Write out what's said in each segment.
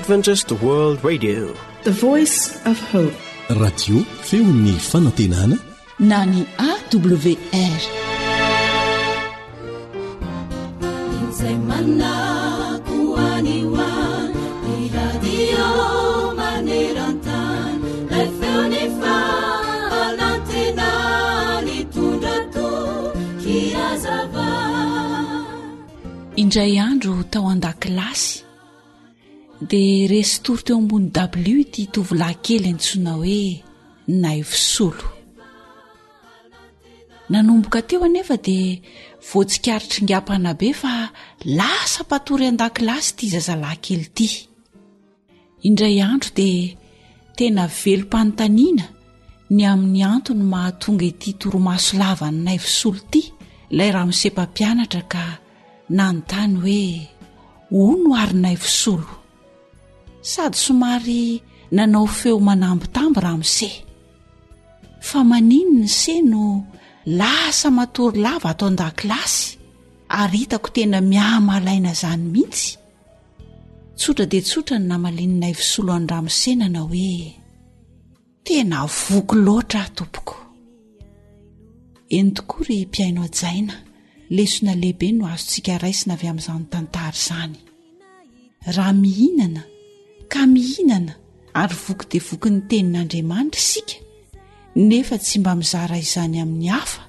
Adventist World Radio. The Voice of Hope. Radio feon'ny fanantenana na ny AWR. Izay manako any ho any, ny radio maneran-tany, ilay feon'ny fanantenana hitondra toky hazava. Indray andro tao an-dakilasy dia resy tory teo ambony dabilio ity tovolahy kely antsoina hoe Naivosolo. Nanomboka teo anefa dia voatsikaritra mpanabe fa lasa mpatory an-dakilasy ity zazalahy kely ity. Indray andro dia tena velom-panontaniana ny amin'ny antony mahatonga ity torimaso lavan'i Naivosolo ity ilay ramose mpampianatra ka nanontany hoe hono ary Naivosolo? Sady somary nanao feo manambitamby ramose. Fa maninona ise no lasa matory lava ato an-dakilasy ary hitako tena mihamalaina izany mihitsy? Tsotra dia tsotra ny namalian'i Naivosolo an'i ramose nanao hoe, Tena voky loatra aho tompoko. Eny tokoa ry mpihaino hajaina, lesona lehibe no azontsika raisina avy amin'izany tantara izany. Raha mihinana ka mihinana ary voky dia voky ny tenin'Andriamanitra isika nefa tsy mba mizara izany amin'ny hafa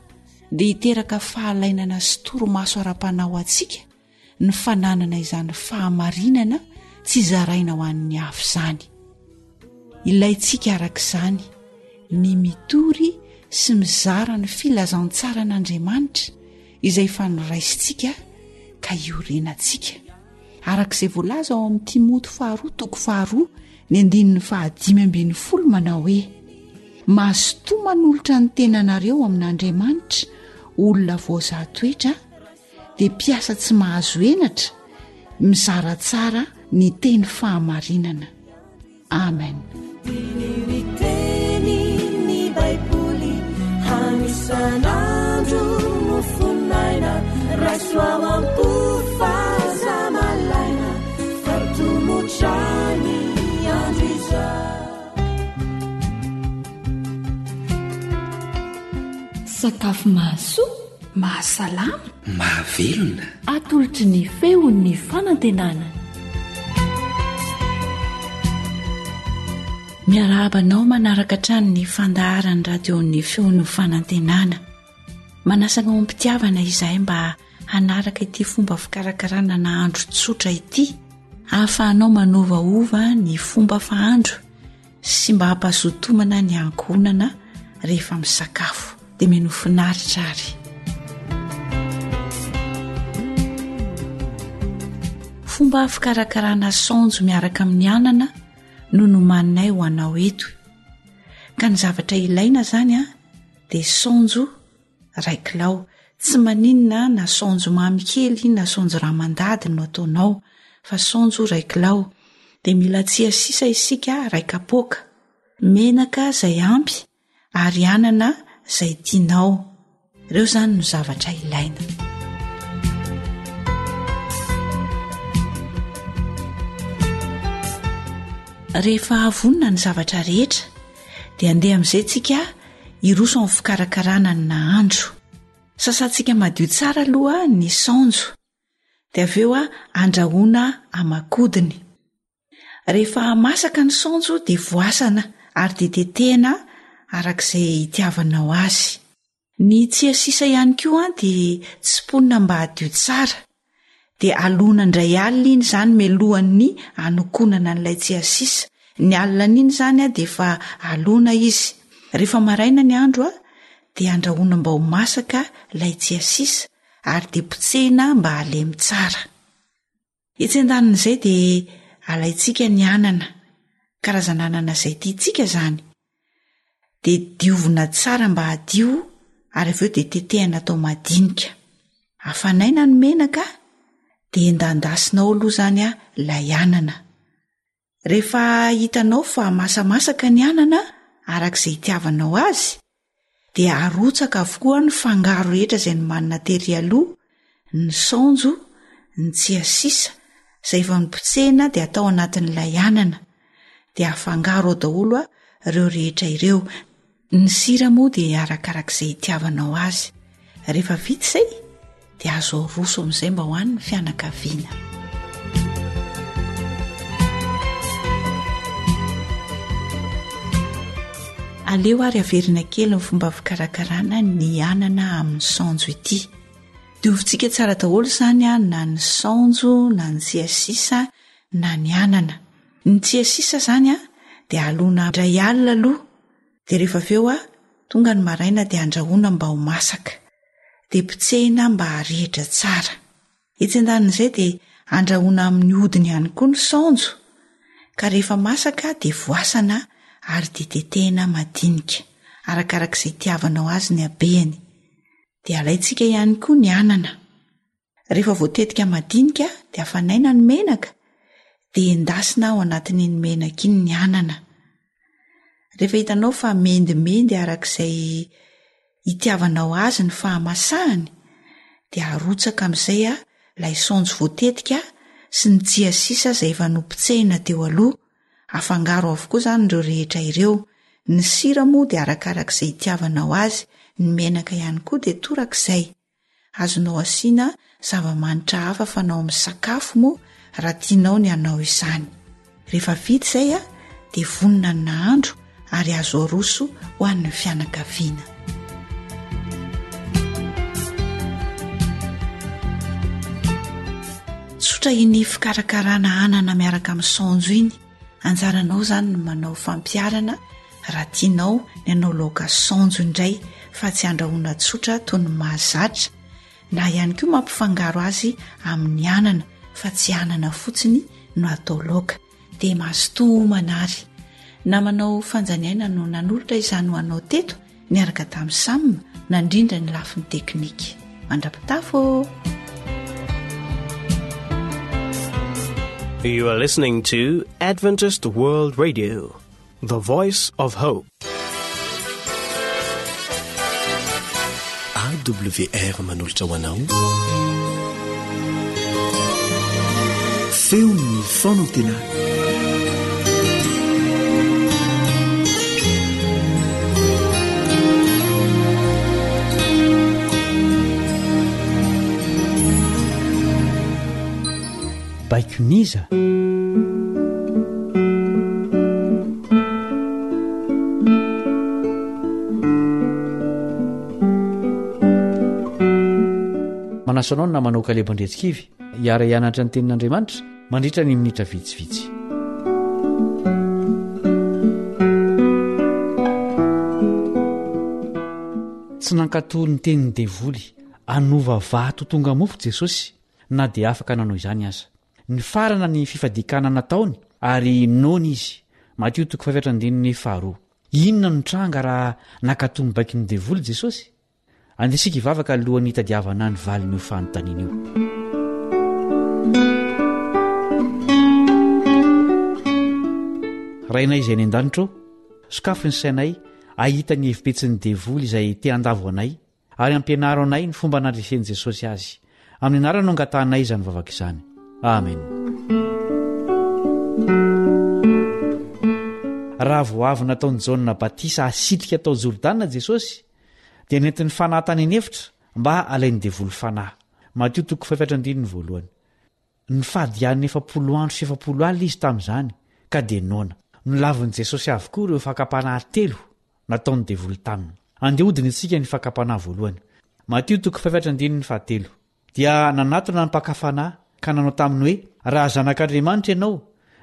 dia hiteraka fahalainana sy torimaso ara-panahy ho antsika ny fananana izany fahamarinana tsy zaraina ho an'ny hafa izany. Ilaintsika araka izany ny mitory sy mizara ny filazantsaran'Andriamanitra izay efa noraisintsika ka iorenantsika. Araka izay voalaza ao amin'ny Timoty faharoa toko faharoa ny andininy fahadimy ambin'ny folo manao hoe mazotoa manolotra ny tenanareo amin'Andriamanitra olona voazaha toetra dia mpiasa tsy mahazo henatra mizara tsara ny teny fahamarinana. Amen. Diniho ny teny ny Baiboly hano isan'andro mofon'aina raiso ao am-po fa aza malaina fa tomotra ny andro izao. Sakafo mahasoa Mahasalama. Mahavelona. Atolotry ny feon'ny fanantenana. Miarahaba anao manaraka hatrany ny fandaharan'ny radion'ny feon'ny fanantenana. Manasa anao am-pitiavana izahay mba hanaraka ity fomba fikarakarana nahandro tsotra ity ahafahanao manovaova ny fomba fahandro sy mba hampazotomana ny ankohonana rehefa misakafo dia mino finaritra ary fomba fikarakarana saonjo miaraka amin'ny anana no nomaninay ho anao eto ka ny zavatra ilaina zany a dia saonjo ray kilao tsy maninona na saonjo mamy kely na saonjo ramandady no ataonao fa saonjo ray kilao dia mila tsia sisa isika ray kapoaka menaka zay ampy ary anana zay tianao ireo zany no zavatra ilaina rehefa vonona ny zavatra rehetra dia andeha amin'izay tsika hiroso amin'ny fikarakarana ny nahandro. Sasantsika madio tsara aloha ny saonjo, dia avy eo andrahoina aman-kodiny. Rehefa masaka ny saonjo dia voasana ary dia tetehina araka izay itiavanao azy. Ny tsiasisa ihany koa dia tsiponina mba hadio tsara, dia alona indray alina iny izany mialohan'ny hanokonana an'ilay tsiasisa. Ny alina an'iny izany dia efa alona izy. Rehefa maraina ny andro dia andrahoina mba ho masaka ilay tsiasisa ary dia potsehina mba halemy tsara. Etsy andanin'izay dia alaintsika ny anana, karazana anana izay tiantsika izany, dia diovina tsara mba hadio ary avy eo dia tetehina atao madinika. Afanaina ny menaka dia endandasina ao aloha izany ilay anana. Rehefa hitanao fa masamasaka ny anana araka izay itiavanao azy dia arotsaka avokoa ny fangaro rehetra izay nomanina tery aloha, ny saonjo, ny tsiasisa izay efa nopotsehina dia atao anatin'ilay anana. Dia afangaro ao daholo ireo rehetra ireo. Ny sira moa dia arakarak'izay itiavanao azy. Rehefa vita izay dia azo aroso amin'izay mba ho an'ny fianakaviana. Aleo ary averina kely ny fomba fikarakarana ny anana amin'ny saonjo ity. Diovintsika tsara daholo izany na ny saonjo na ny tsiasisa na ny anana. Ny tsiasisa izany dia alona indray alina aloha dia rehefa avy eo tonga ny maraina dia andrahoina mba ho masaka. Dia potsehina mba harehitra tsara. Etsy andanin'izay dia andrahoina amin'ny hodiny ihany koa ny saonjo ka rehefa masaka dia voasana ary dia tetehina madinika, arakarak'izay itiavanao azy ny habehany. Dia alaintsika ihany koa ny anana. Rehefa voatetika madinika dia afanaina ny menaka dia endasina ao anatin'iny menaka iny ny anana. Rehefa hitanao fa mendimendy arak'izay itiavanao azy ny fahamasahany dia arotsaka amin'izay ilay saonjo voatetika sy ny tsiasisa izay efa nopotsehina teo aloha. Afangaro avokoa izany ireo rehetra ireo. Ny sira moa dia arakarak'izay itiavanao azy, ny menaka ihany koa dia torak'izay. Azonao asiana zava-manitra hafa fanao amin'ny sakafo moa raha tianao ny hanao izany. Rehefa vita izay dia vonona ny nahandro ary azo aroso ho an'ny fianakaviana. Tsotra iny fikarakarana anana miaraka amin'ny saonjo iny. Anjaranao izany ny manao fampiharana raha tianao ny hanao laoka saonjo indray fa tsy andrahoina tsotra toy ny mahazatra na ihany koa mampifangaro azy amin'ny anana fa tsy anana fotsiny no atao laoka. Dia mazotoa homana ary. Namanao Fanjaniaina no nanolotra izany ho anao teto niaraka tamin'i Sam nandrindra ny lafiny teknika. Mandra-pitafo ô! You are listening to Adventist World Radio, the voice of hope. AWR manolotra ho anao feon'ny fanantenana. Baikon'iza? Manasa anao ny namanao Kaleba Andriantsikivy hiara-hianatra ny Tenin'Andriamanitra mandritra ny minitra vitsivitsy. Tsy nankatò ny tenin'ny devoly hanova vato ho tonga mofo Jesosy na dia afaka nanao izany aza. Nifarana ny fifadian-kanina nataony ary noana izy. Matio toko fahefatra andininy faharoa. Inona no nitranga raha nankatò ny baikon'ny devoly Jesosy? Andeha isika hivavaka alohan'ny hitadiavana ny valin'io fanontaniana io. Rainay izay any an-danitra ô, sokafy ny sainay hahita ny hevi-petsin'ny devoly izay te handavo anay, ary ampianaro anay ny fomba nandresen'i Jesosy azy. Amin'ny anarany no angatahanay izany vavaka izany. Amen. Raha vao avy nataon'i Jaona batisa hasitrika tao Jordana Jesosy, dia nentin'ny Fanahy tany an'efitra mba halain'ny devoly fanahy. Matio toko fahefatra andininy voalohany. Nifady hanina 40 andro sy 40 alina izy tamin'izany, ka dia noana. Nolavin'i Jesosy avokoa ireo fakam-panahy telo nataon'ny devoly taminy. Andeha hodinihintsika ny fakam-panahy voalohany. Matio toko fahefatra andininy fahatelo. Dia nanatona ny mpaka fanahy ka nanao taminy hoe, Raha Zanak'Andriamanitra ianao,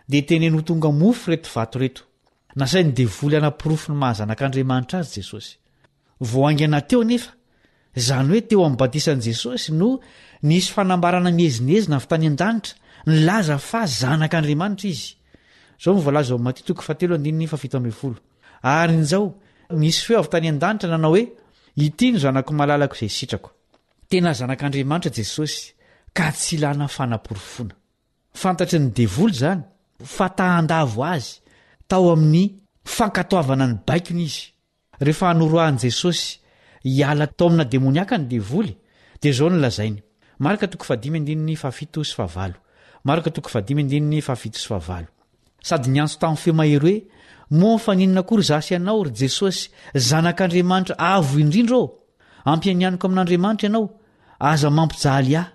dia teneno ho tonga mofo ireto vato ireto. Nasain'ny devoly hanaporofo ny maha Zanak'Andriamanitra azy Jesosy. Vao haingana teo anefa, izany hoe teo amin'ny batisan'i Jesosy, no nisy fanambarana miezinezina avy tany an-danitra nilaza fa Zanak'Andriamanitra izy. Izao no voalaza ao amin'ny Matio toko fahatelo andininy fahafito ambin'ny folo. Ary injao, nisy feo avy tany an-danitra nanao hoe, Ity no Zanako malalako izay sitrako. Tena Zanak'Andriamanitra Jesosy, ka tsy ilana fanaporofoana. Fantatry ny devoly izany, fa ta handavo azy tao amin'ny fankatoavana ny baikony izy. Rehefa noroahin'i Jesosy hiala tao amina demoniaka ny devoly, dia izao no lazainy, Marka toko fahadimy andininy fahafito sy fahavalo. Marka toko fahadimy andininy fahafito sy fahavalo. Sady niantso tamin'ny feo mahery hoe, Moa mifaninona akory izaho sy ianao, ry Jesosy, Zanak'Andriamanitra Avo Indrindra ô? Ampianianiko amin'Andriamanitra ianao, aza mampijaly ahy.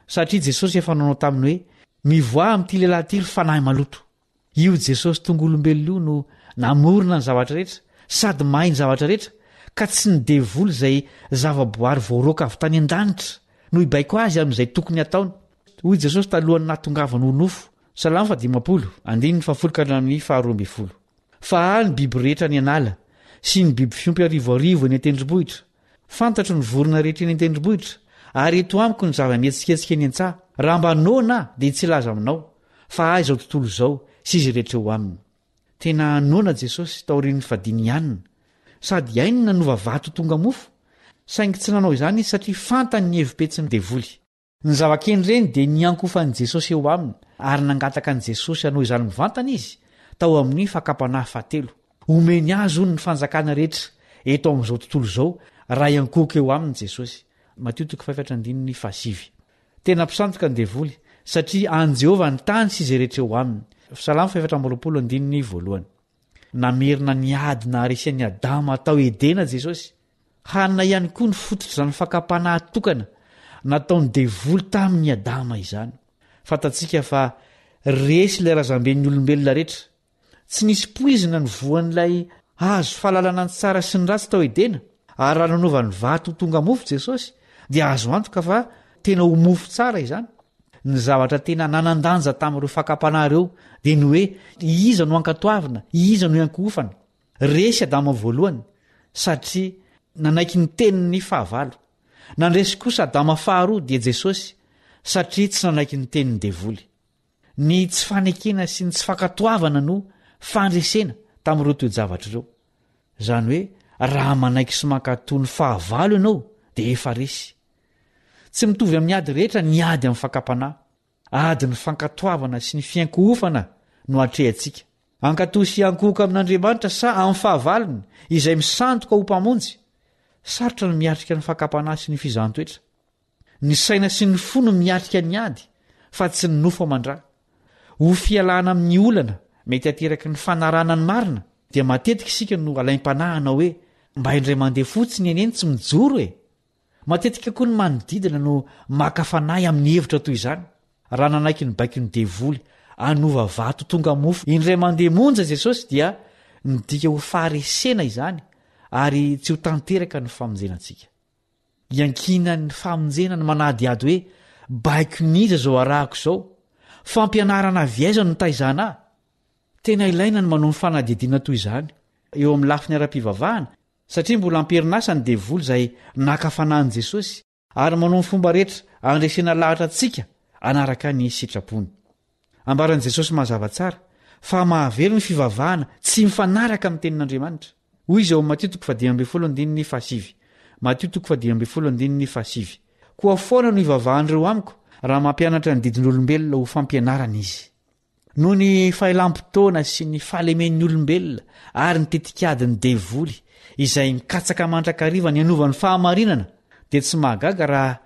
Satria Jesosy efa nanao taminy hoe, Mivoaha amin'ity lehilahy ity, ry fanahy maloto. Io Jesosy tonga olombelona io no namorona ny zavatra rehetra, sady mahay ny zavatra rehetra, ka tsy ny devoly izay zavaboary voaroaka avy tany an-danitra no hibaiko azy amin'izay tokony hataony. Hoy Jesosy talohan'ny nahatongavany ho nofo, Salamo fahadimampolo, andininy fahafolo ka hatramin'ny faharoa ambin'ny folo. Fa ahy ny biby rehetra any an'ala, sy ny biby fiompy arivoarivo eny an-tendrombohitra. Fantatro ny vorona rehetra eny an-tendrombohitra, ary eto amiko ny zava-mihetsiketsika eny an-tsaha. Raha mba noana aho, dia tsy hilaza aminao, fa ahy izao tontolo izao sy izay rehetra eo aminy. Tena noana Jesosy taorian'ny fadiany hanina, sady hainy ny nanova vato ho tonga mofo, saingy tsy nanao izany izy satria fantany ny hevi-petsin'ny devoly. Ny zava-kendreny dia ny hiankofan'i Jesosy eo aminy, ary nangataka an'i Jesosy hanao izany mivantana izy, tao amin'ny fakam-panahy fahatelo. Homeny azy, hono, ny fanjakana rehetra eto amin'izao tontolo izao, raha hiankohoka eo aminy Jesosy. Matio toko fahefatra andininy fahasivy. Tena mpisandoka ny Devoly, satria an'i Jehovah ny tany sy izay rehetra eo aminy. Salamo fahefatra amby 20 andininy voalohany. Namerina ny ady naharesy an'i Adama tao Edena Jesosy. Hanina ihany koa ny fototr'izany fakam-panahy tokana nataon'ny devoly tamin'i Adama izany. Fantatsika fa resy ilay razamben'ny olombelona rehetra. Tsy nisy poizina ny voan'ilay hazo fahalalana ny tsara sy ny ratsy tao Edena, ary raha nanova ny vato ho tonga mofo Jesosy, dia azo antoka fa tena ho mofo tsara izany. Ny zavatra tena nanan-danja tamin'ireo fakam-panahy ireo dia ny hoe iza no hankatoavina, iza no hiankohofana. Resy Adama voalohany satria nanaiky ny tenin'ny fahavalo. Nandresy kosa Adama faharoa dia Jesosy satria tsy nanaiky ny tenin'ny devoly. Ny tsy fanekena sy ny tsy fankatoavana no fandresena tamin'ireo toe-javatra ireo. Izany hoe raha manaiky sy mankatò ny fahavalo ianao dia efa resy. Tsy mitovy amin'ny ady rehetra ny ady amin'ny fakam-panahy. Ady ny fankatoavana sy ny fiankohofana no atrehantsika. Hankatò sy hiankohoka amin'Andriamanitra sa amin'ny fahavalony, izay misandoka ho mpamonjy? Sarotra ny miatrika ny fakam-panahy sy ny fizahan-toetra. Ny saina sy ny fo no miatrika ny ady, fa tsy ny nofo aman-dra. Ho fialana amin'ny olana mety hateraky ny fanarahana ny marina, dia matetika isika no alaim-panahy hanao hoe, Mba indray mandeha fotsiny anie no tsy mijoro e! Matetika koa ny manodidina no maka fanahy amin'ny hevitra toy izany. Raha nanaiky ny baikon'ny Devoly hanova vato tonga mofo indray mandeha monja Jesosy dia midika ho faharesena izany ary tsy ho tanteraka ny famonjena antsika. Iankinan'ny famonjena ny manadihady hoe baikon'iza izao arahako izao? Fampianarana avy aiza no nitaizana ahy? Tena ilaina ny manao ny fanadihadiana toy izany eo amin'ny lafiny ara-pivavahana Satria mbola am-perinasa ny devoly izay naka fanahy an'i Jesosy ary manao ny fomba rehetra handresena lahatra antsika hanaraka ny sitrapony. Ambaran'i Jesosy mazava tsara fa mahavery ny fivavahana tsy mifanaraka amin'ny tenin'Andriamanitra. Hoy izy ao amin'ny Matio toko fahadimy ambin'ny folo andininy fahasivy. Matio toko fahadimy ambin'ny folo andininy fahasivy. Koa foana no ivavahan'ireo amiko raha mampianatra ny didin'olombelona ho fampianarana izy. Noho ny fahelam-potoana sy ny fahalemen'ny olombelona ary ny tetikadin'ny devoly izay mikatsaka mandrakariva ny hanova ny fahamarinana, dia tsy mahagaga raha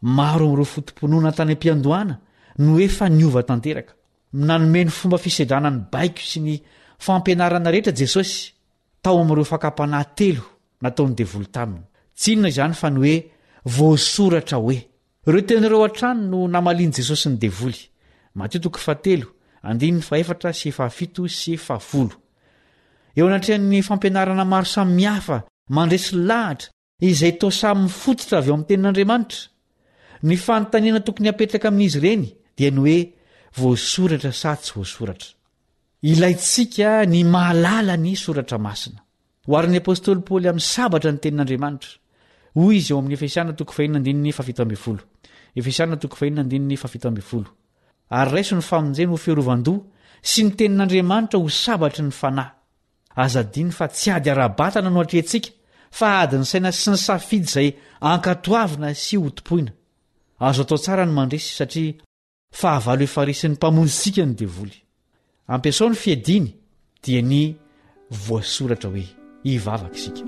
maro amin'ireo foto-pinoana tany am-piandohana no efa niova tanteraka. Nanome ny fomba fisedrana ny baiko sy ny fampianarana rehetra Jesosy tao amin'ireo fakam-panahy telo nataon'ny devoly taminy. Tsy inona izany fa ny hoe voasoratra hoe. Ireo teny ireo hatrany no namalian'i Jesosy ny Devoly. Matio toko fahatelo, andininy fahefatra sy fahafito sy fahafolo. Eo anatrehan'ny fampianarana maro samihafa mandresy lahatra izay toa samy mifototra avy ao amin'ny Tenin'Andriamanitra, ny fanontaniana tokony hapetraka amin'izy ireny dia ny hoe voasoratra sa tsy voasoratra. Ilaintsika ny mahalala ny Soratra Masina. Oharin'ny apostoly Paoly amin'ny sabatra ny tenin'Andriamanitra. Hoy izy ao amin'ny Efesiana toko fahenina andininy fahafito ambin'ny folo. Efesiana toko fahenina andininy fahafito ambin'ny folo. Ary raiso ny famonjena ho fiarovan-doha sy ny tenin'Andriamanitra ho sabatry ny fanahy. Aza adino fa tsy ady ara-batana no atrehintsika fa adin'ny saina sy ny safidy izay ankatoavina sy hotompoina. Azo atao tsara ny mandresy satria Fahavalo efa resin'ny Mpamonjintsika ny devoly. Ampiasao ny fiadiany dia ny voasoratra hoe, Hivavaka isika.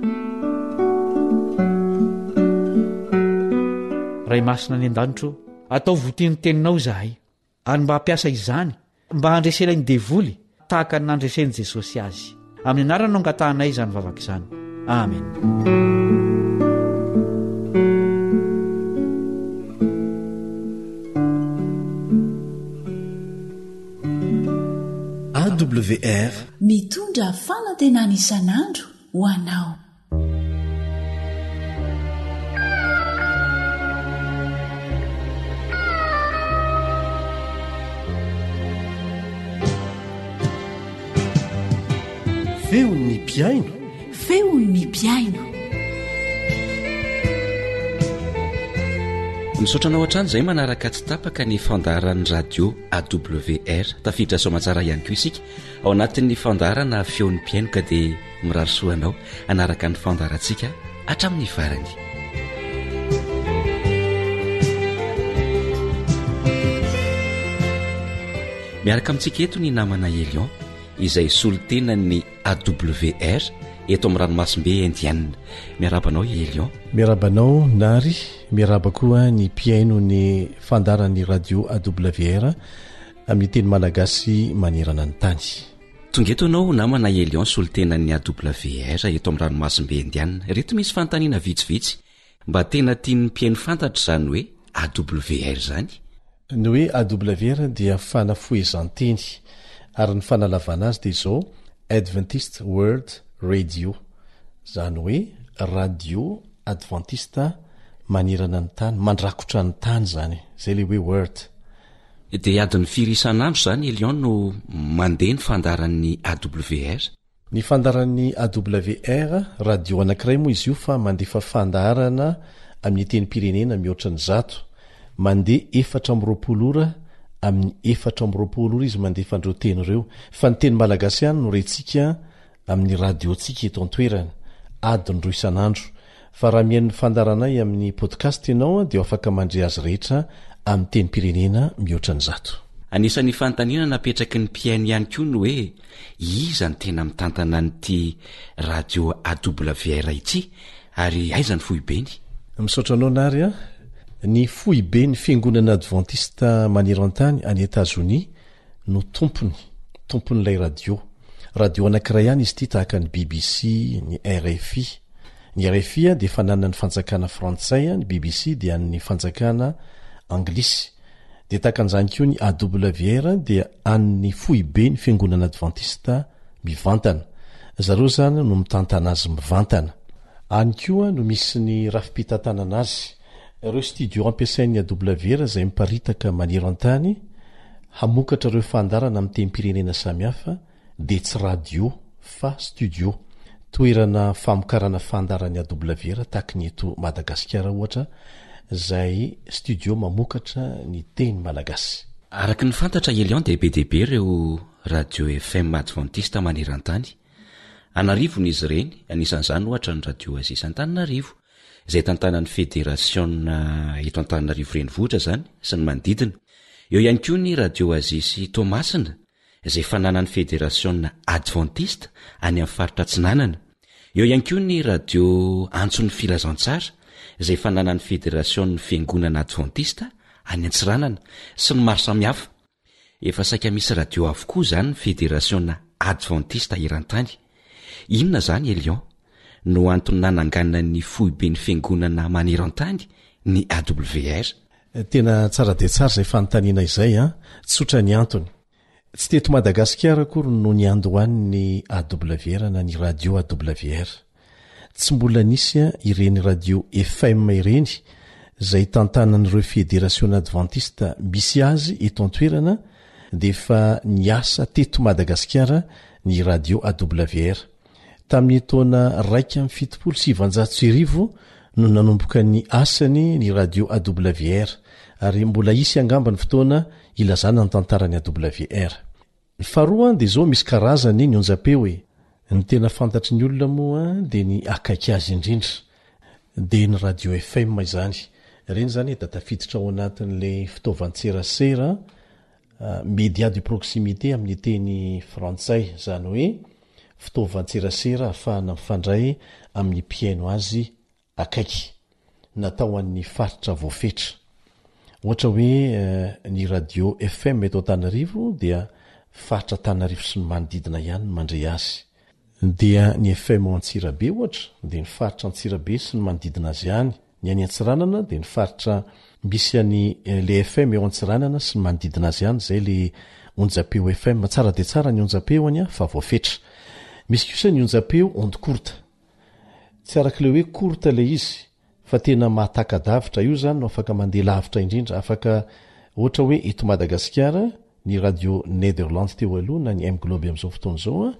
Ray masina any an-danitra ô, ataovy ho tia ny teninao izahay. ary mba hampiasa izany mba handresena ny devoly tahaka ny nandresen'i Jesosy azy. Amin'ny anarany no angatahanay izany vavaka izany. Amen. AWR. Mitondra fanantenana isan'andro ho anao. Feon'ny mpihaino. Feon'ny mpihaino. Misaotra anao hatrany izay manaraka tsy tapaka ny fandaharan'ny radio AWR. Tafiditra soamatsara ihany koa isika ao anatin'ny fandaharana feon'ny mpihaino ka dia Mirary soa anao hanaraka ny fandaharantsika hatramin'ny farany. Miaraka amintsika eto ny namana Elion izay solontenan'ny AWR eto amin'ny ranomasimbe Indiana. Miarahaba anao Elion. Miarahaba anao Nary, miarahaba koa ny mpihaino ny fandaharan'ny radio AWR amin'ny teny malagasy manerana ny tany. Tonga eto ianao namana Elion solontenan'ny AWR eto amin'ny ranomasimbe Indiana. Ireto misy fanontaniana vitsivitsy mba tena tian'ny mpihaino fantatra izany hoe AWR izany. Ny hoe AWR dia fanafohezan-teny ary ny fanalavana azy dia izao Adventist World Radio, izany hoe radio advantista manerana ny tany, mandrakotra ny tany izany, izay ilay hoe World. Dia adiny firy isan'andro izany Elion no mandeha ny fandaharan'ny AWR? Ny fandaharan'ny AWR, radio anankiray moa izy io fa mandefa fandaharana amin'ny tenim-pirenena mihoatra ny zato. Mandeha 24 ora amin'ny 24 ora izy mandefa an'ireo teny ireo. Fa ny teny malagasy ihany no rentsika amin'ny radio-ntsika eto an-toerana, adiny roa isan'andro. Fa raha mihaino ny fandaharanay amin'ny podcast ianao dia ho afaka mandre azy rehetra amin'ny tenim-pirenena mihoatra ny zato. Anisan'ny fanontaniana napetraky ny mpihaino ihany koa ny hoe iza no tena mitantana an'ity radio AWR ity ary aiza ny foibeny? Misaotra anao Nary a! Ny foiben'ny Fiangonana Advantista maneran-tany any Etazonia no tompony, tompon'ilay radio. Radio anankiray ihany izy ity tahaka ny BBC, ny rfi. Ny rfi dia fananan'ny fanjakana frantsay, ny BBC dia an'ny fanjakana anglisy. Dia tahaka an'izany koa ny AWR dia an'ny foiben'ny fiangonana advantista mivantana. Zareo izany no mitantana azy mivantana. Any koa no misy ny rafi-pitantanana azy. Ireo studio ampiasain'ny AWR izay miparitaka maneran-tany hamokatra ireo fandaharana amin'ny tenim-pirenena samihafa dia tsy radio fa studio, toerana famokarana fandaharan'ny AWR tahaky ny eto Madagasikara ohatra izay studio mamokatra ny teny malagasy. Araka ny fantatra Elion dia be dia be ireo radio FM advantista maneran-tany. An'arivony izy ireny, anisan'izany ohatra ny radio Oasis Antananarivo. izay tantanan'ny federasiona eto Antananarivo Renivohitra izany sy ny manodidina. Eo ihany koa ny Radio Oasis Toamasina izay fananan'ny federasiona advantista any amin'ny faritra Atsinanana. Eo ihany koa ny Radio Antson'ny Filazantsara izay fananan'ny federasion'ny fiangonana advantista any Antsiranana sy ny maro samihafa. Efa saika misy radio avokoa izany ny federasiona advantista eran-tany. Inona izany Elion no antony nananganan'ny foiben'ny fiangonana maneran-tany ny AWR? Tena tsara dia tsara izay fanontaniana izay an! Tsotra ny antony. Tsy teto Madagasikara akory no niandohan'ny AWR na ny radio AWR. Tsy mbola nisy ireny radio FM ireny izay tantanan'ireo federasiona advantista misy azy eto an-toerana dia efa niasa teto Madagasikara ny radio AWR. Tamin'ny taona 1971 no nanomboka ny asany ny radio AWR ary mbola hisy angamba ny fotoana hilazana ny tantaran'ny AWR. Ny faharoa dia izao misy karazany ny onjam-peo e! Ny tena fantatry ny olona moa dia ny akaiky azy indrindra dia ny radio FM izany. Ireny izany dia tafiditra ao anatin'ilay fitaovan-tserasera media de proximité amin'ny teny frantsay, izany hoe fitaovan-tserasera ahafahana mifandray amin'ny mpihaino azy akaiky, natao ho an'ny faritra voafetra. Ohatra hoe ny radio FM eto Antananarivo dia faritra Antananarivo sy ny manodidina ihany no mandre azy. Dia ny FM ao Antsirabe ohatra dia ny faritra Antsirabe sy ny manodidina azy ihany. Ny any Antsiranana dia ny faritra misy any le FM eo Antsiranana sy ny manodidina azy ihany, izay le onjam-peo FM. Tsara dia tsara ny onjam-peo any fa voafetra. Misy kosa ny onjam-peo onde courte. Tsy araka ilay hoe courte ilay izy fa tena mahataka-davitra. Io izany no afaka mandeha lavitra indrindra. Afaka ohatra hoe eto Madagasikara ny radio Nederland teo aloha na ny M-Globe amin'izao fotoana izao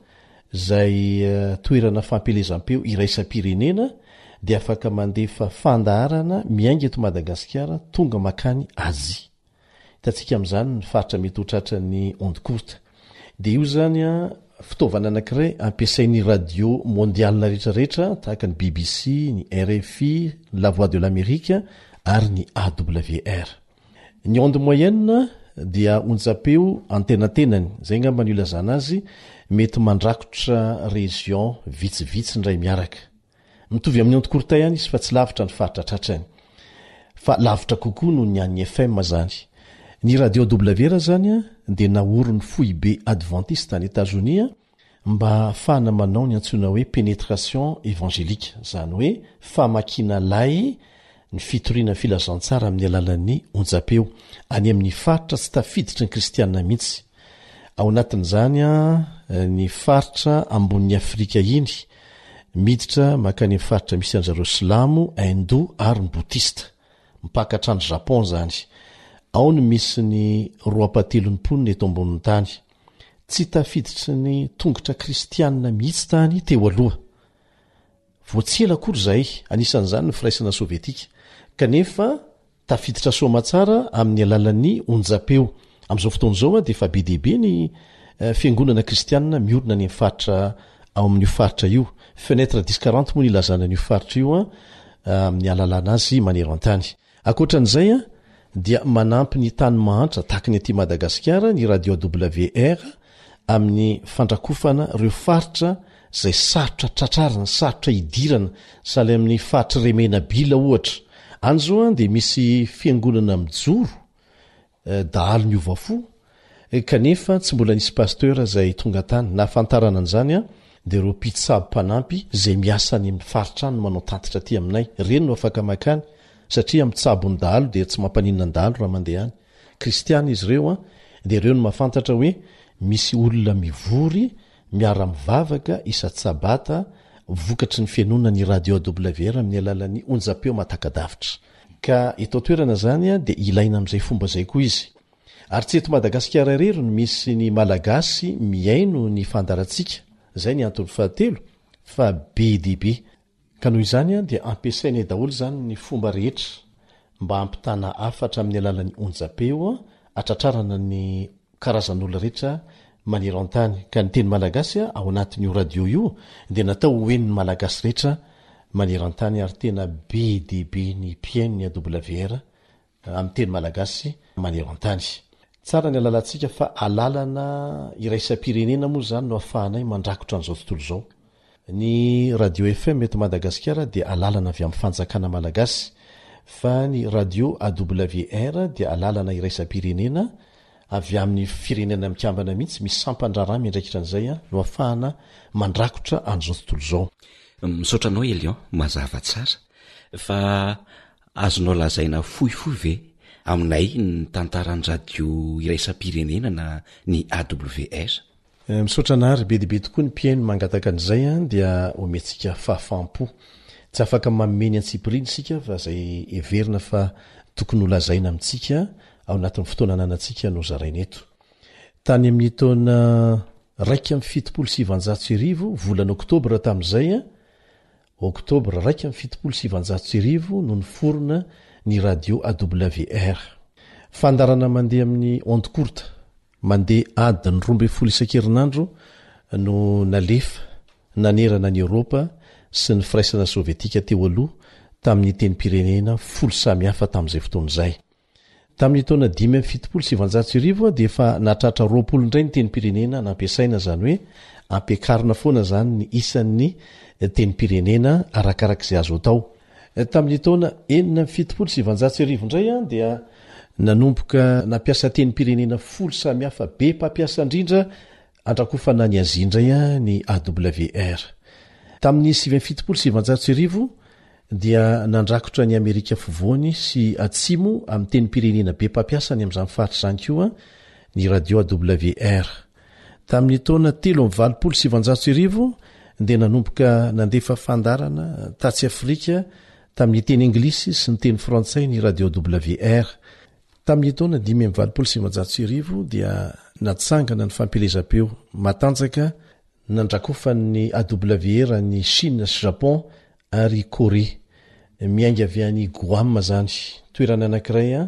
izay toerana fampielezam-peo iraisam-pirenena dia afaka mandefa fandaharana miainga eto Madagasikara tonga makany Azia. Hitantsika amin'izany ny faritra mety ho tratran'ny onde courte. Dia io izany fitaovana anankiray ampiasain'ny radio mondiale rehetra rehetra tahaka ny BBC, ny RFI, ny La Voix de l'Amérique ary ny AWR. Ny onde moyenne dia onjam-peo antenatenany, izay angamba no ilazana azy, mety mandrakotra région vitsivitsy indray miaraka. Mitovy amin'ny onde courte ihany izy fa tsy lavitra ny faritra tratrany. Fa lavitra kokoa noho ny an'ny FM izany. Ny radio AWR izany dia naorin'ny foibe adventiste any Etazonia mba hahafahana manao ny antsoina hoe pénétration évangélique, izany hoe famakiana lay ny fitoriana ny filazantsara amin'ny alalan'ny onjam-peo, any amin'ny faritra tsy tafiditry ny kristiana mihitsy. Ao anatin'izany ny faritra ambonin'i Afrika iny, miditra mankany amin'ny faritra misy an-dry zareo silamo, hindou ary ny bodista. Mipaka hatrany Japon izany. Ao no misy ny roapahatelon'ny mponina eto ambonin'ny tany. Tsy tafiditry ny tongotra kristianina mihitsy tany teo aloha. Vao tsy ela akory izay, anisan'izany ny Firaisana Sovietika. Kanefa tafiditra soamatsara amin'ny alalan'ny onjam-peo. Amin'izao fotoana izao dia efa be dia be ny fiangonana kristianina miorina any amin'ny faritra ao amin'io faritra io. Fenêtre dix quarante moa no ilazana an'io faritra io amin'ny ahalalana azy maneran-tany. Ankoatra an'izay dia manampy ny tany mahantra tahaka ny aty Madagasikara ny Radio AWR amin'ny fandrakofana ireo faritra izay sarotra tratrarina, sarotra idirana, sahala amin'ny faritr'i Remenabila ohatra. Any izao dia misy fiangonana mijoro dahalo niova fo kanefa tsy mbola nisy pasteur izay tonga tany. Nahafantarana an'izany dia ireo mpitsabo mpanampy izay miasa any amin'ny faritra any no manao tatitra aty aminay. Ireny no afaka makany satria mitsabo ny dahalo dia tsy mampaninona ny dahalo raha mandeha any. Kristiana izy ireo dia ireo no mahafantatra hoe misy olona mivory miara-mivavaka isa-tsabata vokatry ny fihainoana ny radio AWR amin'ny alalan'ny onjam-peo mahataka-davitra. Ka eto an-toerana izany dia ilaina amin'izay fomba izay koa izy. Ary tsy eto Madagasikara irery no misy ny Malagasy mihaino ny fandaharantsika, izay ny antony fahatelo, fa be dia be. Ka noho izany dia ampiasainay daholo izany ny fomba rehetra mba hampitana hafatra amin'ny alalan'ny onjam-peo hatratrarana ny karazan'olona rehetra maneran-tany. Ka ny teny malagasy ao anatin'io radio io dia natao ho henon'ny Malagasy rehetra maneran-tany ary tena be dia be ny mpihaino ny AWR amin'ny teny malagasy maneran-tany. Tsara ny alalantsika fa alalana iraisam-pirenena moa izany no ahafahanay mandrakotra an'izao tontolo izao. Ny radio FM eto Madagasikara dia alalana avy amin'ny fanjakana malagasy fa ny radio AWR dia alalana iraisam-pirenena avy amin'ny firenena mikambana mihitsy, misy sampan-draharaha miandraikitra an'izay no ahafahana mandrakotra an'izao tontolo izao. Misaotra anao Elion, mazava tsara. Fa azonao lazaina fohifohy ve aminay ny tantaran'ny radio iraisam-pirenena na ny AWR? Misaotra anary, be dia be tokoa ny mpihaino mangataka an'izay an, dia omentsika fahafaham-po. Tsy afaka manome ny antsipiriany isika fa izay heverina fa tokony ho lazaina amintsika ao anatin'ny fotoana ananantsika no zaraina eto. Tany amin'ny taona 1971, volana oktobra tamin'izay, oktobra 1971 no niforona ny radio AWR. Fandaharana mandeha amin'ny onde courte. Mandeha adiny 12 isan-kerinandro no nalefa nanerana an'i Eoropa sy ny Firaisana Sovietika teo aloha tamin'ny tenim-pirenena folo samy hafa tamin'izay fotoana izay. Tamin'ny taona 1975 dia efa nahatratra 20 indray ny tenim-pirenena nampiasaina, izany hoe ampiakarina foana izany ny isan'ny tenim-pirenena arakarak'izay azo atao. Tamin'ny taona 1976 indray dia. Nanomboka nampiasa tenim-pirenena folo samihafa be mpampiasa indrindra andrakofana an'i Azia indray ny AWR. Tamin'ny 1979 dia nandrakotra an'i Amerika Afovoany sy Atsimo amin'ny tenim-pirenena be mpampiasa any amin'izany faritra izany koa ny radio AWR. Tamin'ny taona 1983 dia nanomboka nandefa fandaharana tatsy Afrika tamin'ny teny anglisy sy ny teny frantsay ny radio AWR. Tamin'ny taona 1985 dia natsangana ny fampielezam-peo matanjaka nandrakofan'ny AWR an'i Chine sy Japon ary Korea. Miainga avy any Guam izany, toerana anankiray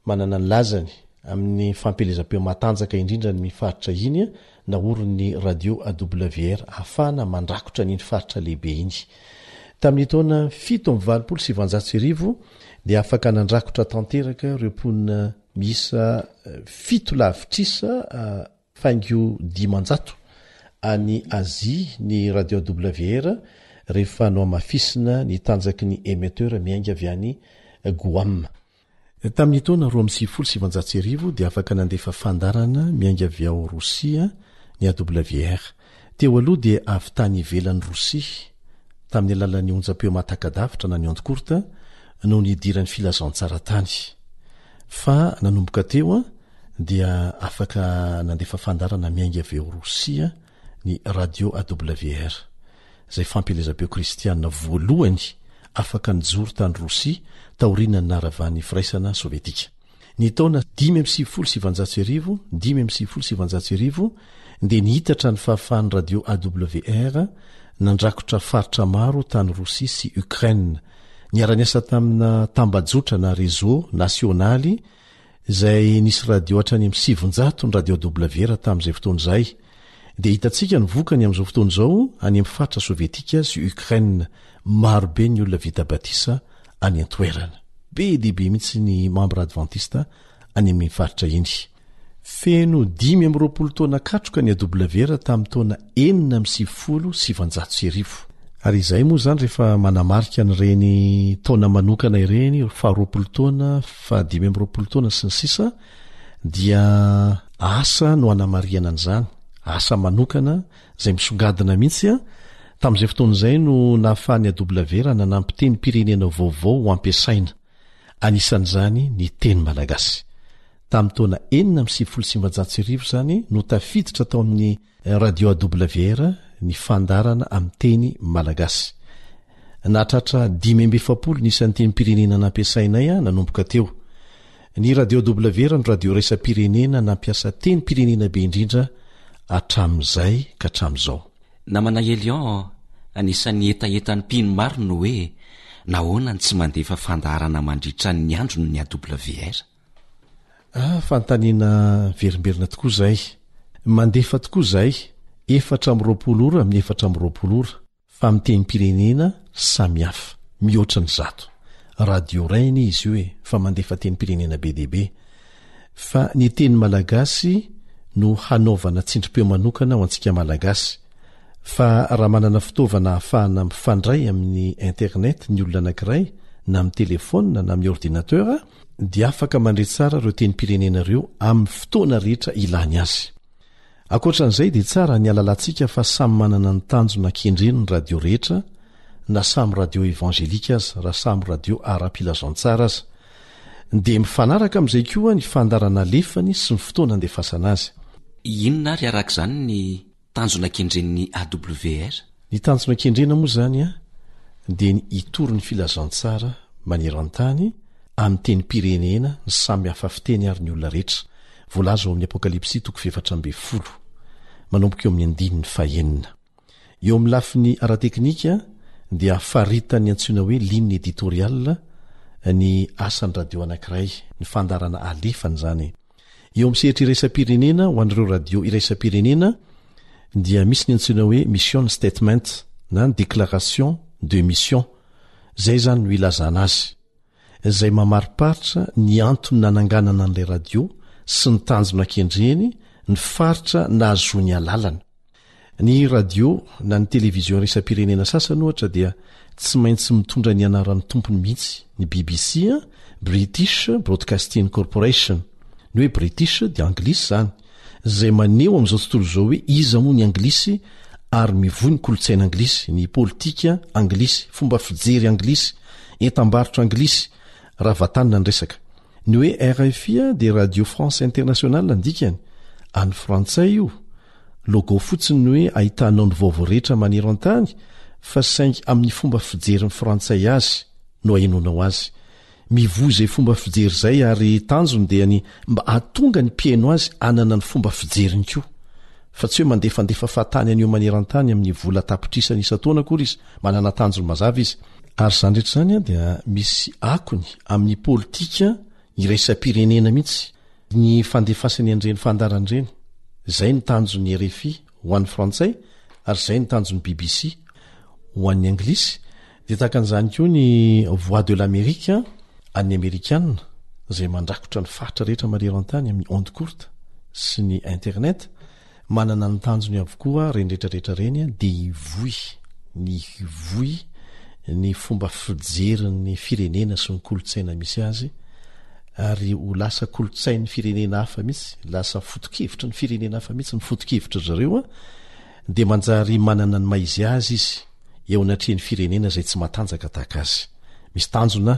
manana ny lazany amin'ny fampielezam-peo matanjaka indrindra ny faritra iny, naorin'ny radio AWR ahafahana mandrakotra an'iny faritra lehibe iny. Tamin'ny taona 1987 dia afaka nandrakotra tanteraka ireo mponina miisa fito lavitrisa faingo 500 any Azia ny radio AWR rehefa nohamafisina ny tanjaky ny émetteur miainga avy any Guam. Tamin'ny taona 1992 dia afaka nandefa fandaharana miainga avy ao Rosia ny AWR. Teo aloha dia avy tany ivelan'i Rosia, tamin'ny alalan'ny onjam-peo mahataka-davitra na ny ondes courtes, no nidiran'ny filazantsara tany. Fa nanomboka teo dia afaka nandefa fandaharana miainga avy ao Rosia ny Radio AWR, izay fampielezam-peo kristiana voalohany afaka nijoro tany Rosia taorian'ny naharavan'ny Firaisana Sovietika. Ny taona 1995, 1995, dia nihitatra ny fahafahan'ny Radio AWR nandrakotra faritra maro tany Rosia sy Ukraine. Niara-niasa tamina tambajotra na réseau nasionaly izay nisy radio hatrany amin'ny 900 ny radio AWR tamin'izay fotoana izay, dia hitantsika ny vokany amin'izao fotoana izao any amin'ny faritra sovietika sy Ukraine. Maro be ny olona vita batisa any an-toerana. Be dia be mihitsy ny mambra advantista any amin'iny faritra iny. Feno 25 taona katroka ny AWR tamin'ny taona 1996. Ary izahay moa izany rehefa manamarika an'ireny taona manokana ireny, faha 20 taona, faha 25 taona sy ny sisa, dia asa no anamarihana an'izany, asa manokana izay misongadina mihitsy an! Tamin'izay fotoana izay no nahafahan'ny AWR nanampy tenim-pirenena vaovao ho ampiasaina, anisan'izany ny teny malagasy. Tamin'ny taona 1996 izany no tafiditra tao amin'ny Radio AWR ny fandaharana amin'ny teny malagasy. Nahatratra 45 ny isan'ny tenim-pirenena nampiasainay nanomboka teo. Ny Radio AWR no radio iraisam-pirenena nampiasa tenim-pirenena be indrindra hatramin'izay ka hatramin'izao. Namana Elion, anisan'ny hetahetan'ny mpino maro ny hoe nahoana no tsy mandefa fandaharana mandritra ny andro ny AWR? Ah, fanontaniana miverimberina tokoa izay. Mandefa tokoa izahay, 24 ora amin'ny 24 ora, fa amin'ny tenim-pirenena samihafa, mihoatra ny zato. Radio iray anie izy io e, fa mandefa tenim-pirenena be dia be. Fa ny teny malagasy no hanaovana tsindrim-peo manokana ho antsika Malagasy. Fa raha manana fitaovana ahafahana mifandray amin'ny internet ny olona anankiray, na amin'ny telefaonina na amin'ny ordinateur, dia afaka mandre tsara ireo tenim-pirenena ireo amin'ny fotoana rehetra ilany azy. Ankoatra an'izay dia tsara ny halalantsika fa samy manana ny tanjona kendreny ny radio rehetra na samy radio evangelika aza raha samy radio ara-pilazantsara aza. Dia mifanaraka amin'izay koa ny fandaharana alefany sy ny fotoana andefasana azy. Inona ary araka izany ny tanjona kendren'ny AWR? Ny tanjona kendrena moa izany dia ny hitory ny filazantsara maneran-tany amin'ny tenim-pirenena ny samy hafa fiteny ary ny olona rehetra, voalaza ao amin'ny Apokalypsy toko fahefatra ambinifolo, manomboka eo amin'ny andininy fahenina. Eo amin'ny lafiny ara-teknika dia faritan'ny antsoina hoe ligne éditoriale ny asan'ny radio anankiray, ny fandaharana alefany izany. Eo amin'ny sehatra iraisam-pirenena, ho an'ireo radio iraisam-pirenena, dia misy ny antsoina hoe mission statement na ny déclaration de mission. Izay izany no ilazana azy. Izay mamariparitra ny antony nananganana an'ilay radio sy ny tanjona kendreny, ny faritra nahazoany alalana. Ny radio na ny televizion iraisam-pirenena sasany ohatra dia Tsy maintsy mitondra ny anaran'ny tompony mihitsy ny BBC, British Broadcasting Corporation. Ny hoe British dia anglisy izany, izay maneho amin'izao tontolo izao hoe iza moa ny anglisy ary mivoy ny kolontsaina anglisy, ny politika anglisy, fomba fijery anglisy, entam-barotra anglisy, raha vatanina ny resaka. Ny hoe RFI dia Radio France Internationale ny dikany, an'ny frantsay io. Logo fotsiny ny hoe ahitanao ny vaovao rehetra maneran-tany fa saingy amin'ny fomba fijerin'ny frantsay azy no ahenoanao azy. Mivoy izay fomba fijery izay ary tanjony dia ny mba hahatonga ny mpihaino azy hanana ny fomba fijeriny koa. Fa tsy hoe mandefandefa fahatany an'io maneran-tany amin'ny vola tapitrisany isan-taona akory izy, manana tanjony mazava izy. Ary izany rehetra izany dia misy akony amin'ny politika iraisam-pirenena mihitsy ny fandefasany an'ireny fandaharana ireny. Izay no tanjon'ny RFI ho an'ny frantsay ary izay no tanjon'ny BBC ho an'ny anglisy. Dia tahaka an'izany koa ny Voix de l'Amérique an'ny amerikana izay mandrakotra ny faritra rehetra maneran-tany amin'ny ondes courtes sy ny internet. Manana ny tanjony avokoa ireny rehetra rehetra ireny dia hivoy ny hivoy ny fomba fijerin'ny firenena sy ny kolontsaina misy azy ary ho lasa kolontsain'ny firenena hafa mihitsy, lasa foto-kevitry ny firenena hafa mihitsy ny foto-kevitry ry zareo dia manjary manana ny maha izy azy izy eo anatrehan'ny firenena izay tsy matanjaka tahaka azy. Misy tanjona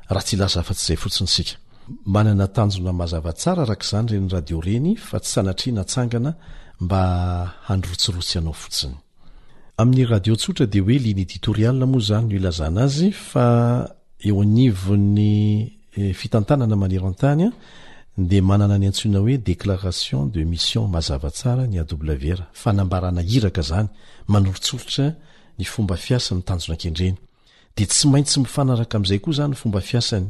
raha tsy hilaza afa-tsy izay fotsiny isika. Manana tanjona mazava tsara araka izany ireny radio ireny fa tsy sanatria natsangana mba handrotsirotsy anao fotsiny. Amin'ny radio tsotra dia hoe ligne éditoriale moa izany no ilazana azy fa eo anivon'ny fitantanana maneran-tany dia manana ny antsoina hoe déclaration de mission mazava tsara ny AWR, fanambarana iraka izany, manoritsoritra ny fomba fiasa ny tanjona kendreny. Dia tsy maintsy mifanaraka amin'izay koa izany ny fomba fiasany.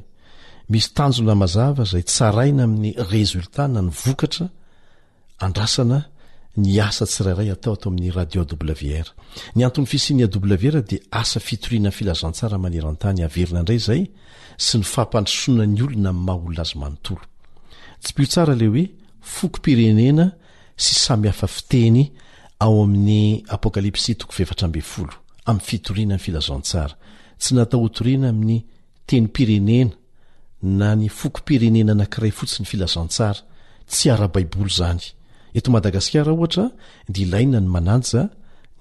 Misy tanjona mazava izay tsaraina amin'ny résultat na ny vokatra andrasana ny asa tsirairay atao ato amin'ny Radio AWR. Ny anton'ny fisian'ny AWR dia asa fitoriana filazantsara maneran-tany averina indray izay sy ny fampandrosoana ny olona amin'ny maha olona azy manontolo. Tsipiho tsara ilay hoe fokom-pirenena sy samy hafa fiteny ao amin'ny Apokalypsy toko 14 amin'ny fitoriana ny filazantsara. Tsy natao hotoriana amin'ny tenim-pirenena na ny fokom-pirenena anankiray fotsiny filazantsara. Tsy ara-baiboly izany. Eto Madagasikara ohatra dia ilaina ny manaja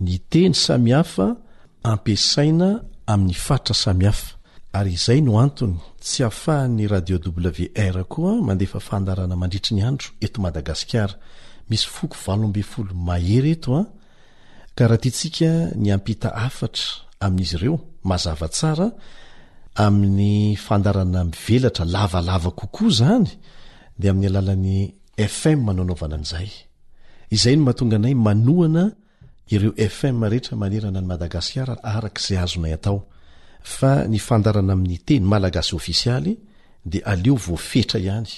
ny teny samihafa ampiasaina amin'ny faritra samihafa ary izay no antony tsy ahafahan'ny Radio WR koa mandefa fandaharana mandritry ny andro eto Madagasikara. Misy foko 18 mahery eto an! Ka raha tiantsika ny hampita hafatra amin'izy ireo mazava tsara amin'ny fandaharana mivelatra lavalava kokoa izany dia amin'ny alalan'ny FM no anaovana an'izay. Izay no mahatonga anay manohana ireo FM rehetra manerana an'i Madagasikara araka izay azonay atao fa ny fandaharana amin'ny teny malagasy ofisialy dia aleo voafetra ihany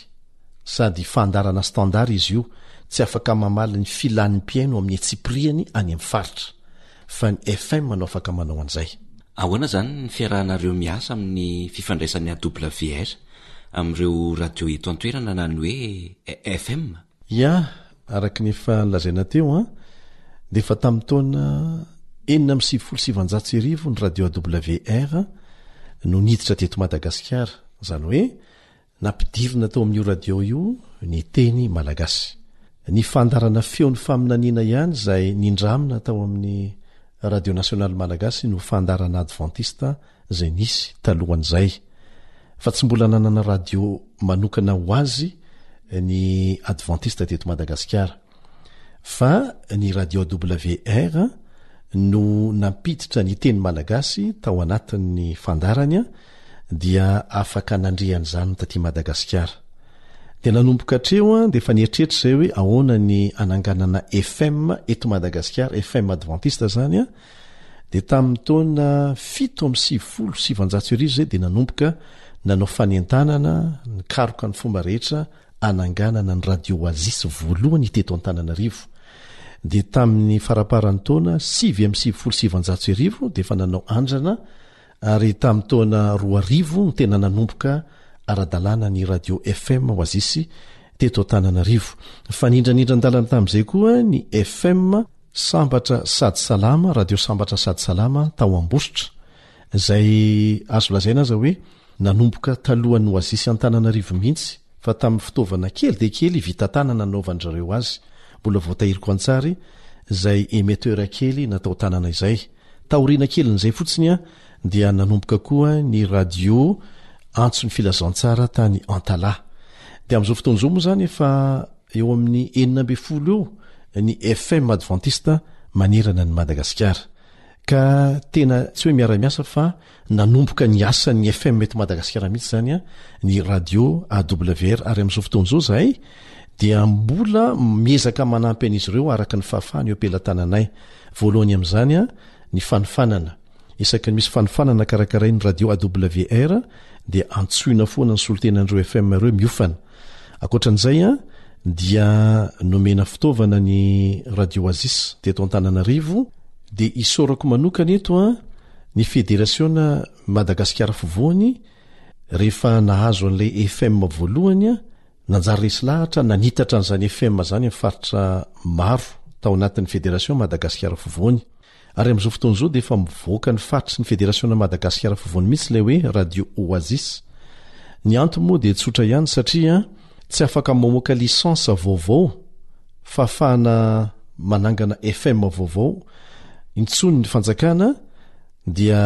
sady fandaharana standard izy io tsy afaka mamaly ny filan'ny mpihaino amin'ny antsipiriany any amin'ny faritra fa ny FM no afaka manao an'izay. Ahoana izany ny fiarahanareo miasa amin'ny fifandraisan'ny AWR amin'ireo radio eto an-toerana na ny hoe FM? Ya, araka ny efa nolazaina teo an, dia efa tamin'ny taona 1996 ny radio AWR no niditra teto Madagasikara, izany hoe nampidirina tao amin'io radio io ny teny malagasy. Ny fandaharana feon'ny faminaniana ihany izay nindramina tao amin'ny Radio Nasionaly Malagasy no fandaharana advantista izay nisy talohan'izay, fa tsy mbola nanana radio manokana ho azy ny advantista teto Madagasikara, fa ny radio AWR no nampiditra ny teny malagasy tao anatin'ny fandaharany dia afaka nandre an'izany taty Madagasikara. Dia nanomboka hatreo dia efa nieritreritra izay hoe ahoana ny hananganana FM eto Madagasikara, FM advantista izany an, Dia tamin'ny taona 1997 izay dia nanomboka nanao fanentanana, nikaroka ny fomba rehetra hananganana ny Radio Oasis voalohany teto Antananarivo. Dia tamin'ny faramparan'ny taona 1999 dia efa nanao andrana ary tamin'ny taona 2000 no tena nanomboka ara-dalàna ny Radio FM Oasis teto Antananarivo. Nifanindranindran-dalana tamin'izay koa ny FM Sambatra sady salama, Radio Sambatra sady salama tao Ambositra. Izay azo lazaina aza hoe nanomboka talohan'ny Oasis Antananarivo mihitsy fa tamin'ny fitaovana kely dia kely vita tanana nanaovan-dry zareo azy. Mbola voatahiriko an-tsary izay émetteur kely natao tanana izay. Taoriana kelin'izay fotsiny dia nanomboka koa ny radio Antso ny Filazantsara tany Antalaha. Dia amin'izao fotoana izao moa izany efa eo amin'ny 16 eo ny FM Adventiste manerana an'i Madagasikara. Ka tena tsy hoe miara-miasa fa nanomboka ny asan'ny FM eto Madagasikara mihitsy izany ny radio AWR ary amin'izao fotoana izao izahay dia mbola miezaka manampy an'izy ireo araka ny fahafahany eo am-pelatananay. Voalohany amin'izany ny fanofanana. Isaky ny misy fanofanana karakarain'ny radio AWR dia antsoina foana ny solontenan'ireo FM ireo miofana. Ankoatra an'izay dia nomena fitaovana ny radio Oasis teto Antananarivo. Dia isaorako manokana eto ny Federasiona Madagasikara Afovoany rehefa nahazo an'ilay FM voalohany, nanjary resy lahatra nanitatra an'izany FM izany amin'ny faritra maro tao anatin'ny Federasiona Madagasikara Afovoany. Ary amin'izao fotoana izao dia efa mivoaka ny faritry ny Federasiona Madagasikara Afovoany mihitsy ilay hoe Radio Oasis. Ny antony moa dia tsotra ihany satria tsy afaka mamoaka licence vaovao fahafahana manangana FM vaovao intsony ny fanjakana dia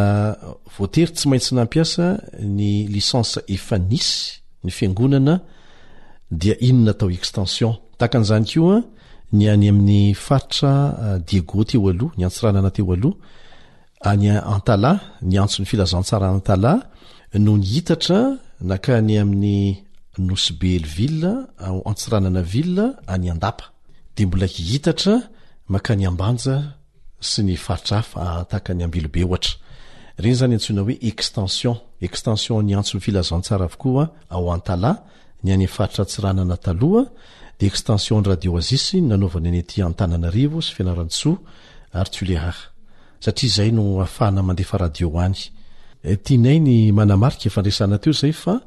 voatery tsy maintsy nampiasa ny licence efa nisy ny fiangonana dia iny natao extension. Tahaka an'izany koa ny any amin'ny faritra Diego teo aloha, ny Antsiranana teo aloha, any Antalaha, ny antson'ny filazantsara Antalaha no nihitatra nakany amin'ny Nosy Be Hell-Ville, ao Antsiranana Ville, any Andapa. Dia mbola hihitatra makany Ambanja sy ny faritra hafa tahaka ny Ambilobe ohatra. Ireny izany antsoina hoe extension. Extension ny antson'ny filazantsara avokoa ao Antalaha, ny any faritra Antsiranana taloha, dia extension ny Radio Oasis no nanaovana ny aty Antananarivo sy Fianarantsoa ary Tuléar. Satria izay no ahafahana mandefa radio any. Tianay ny manamarika efa niresahana teo izay fa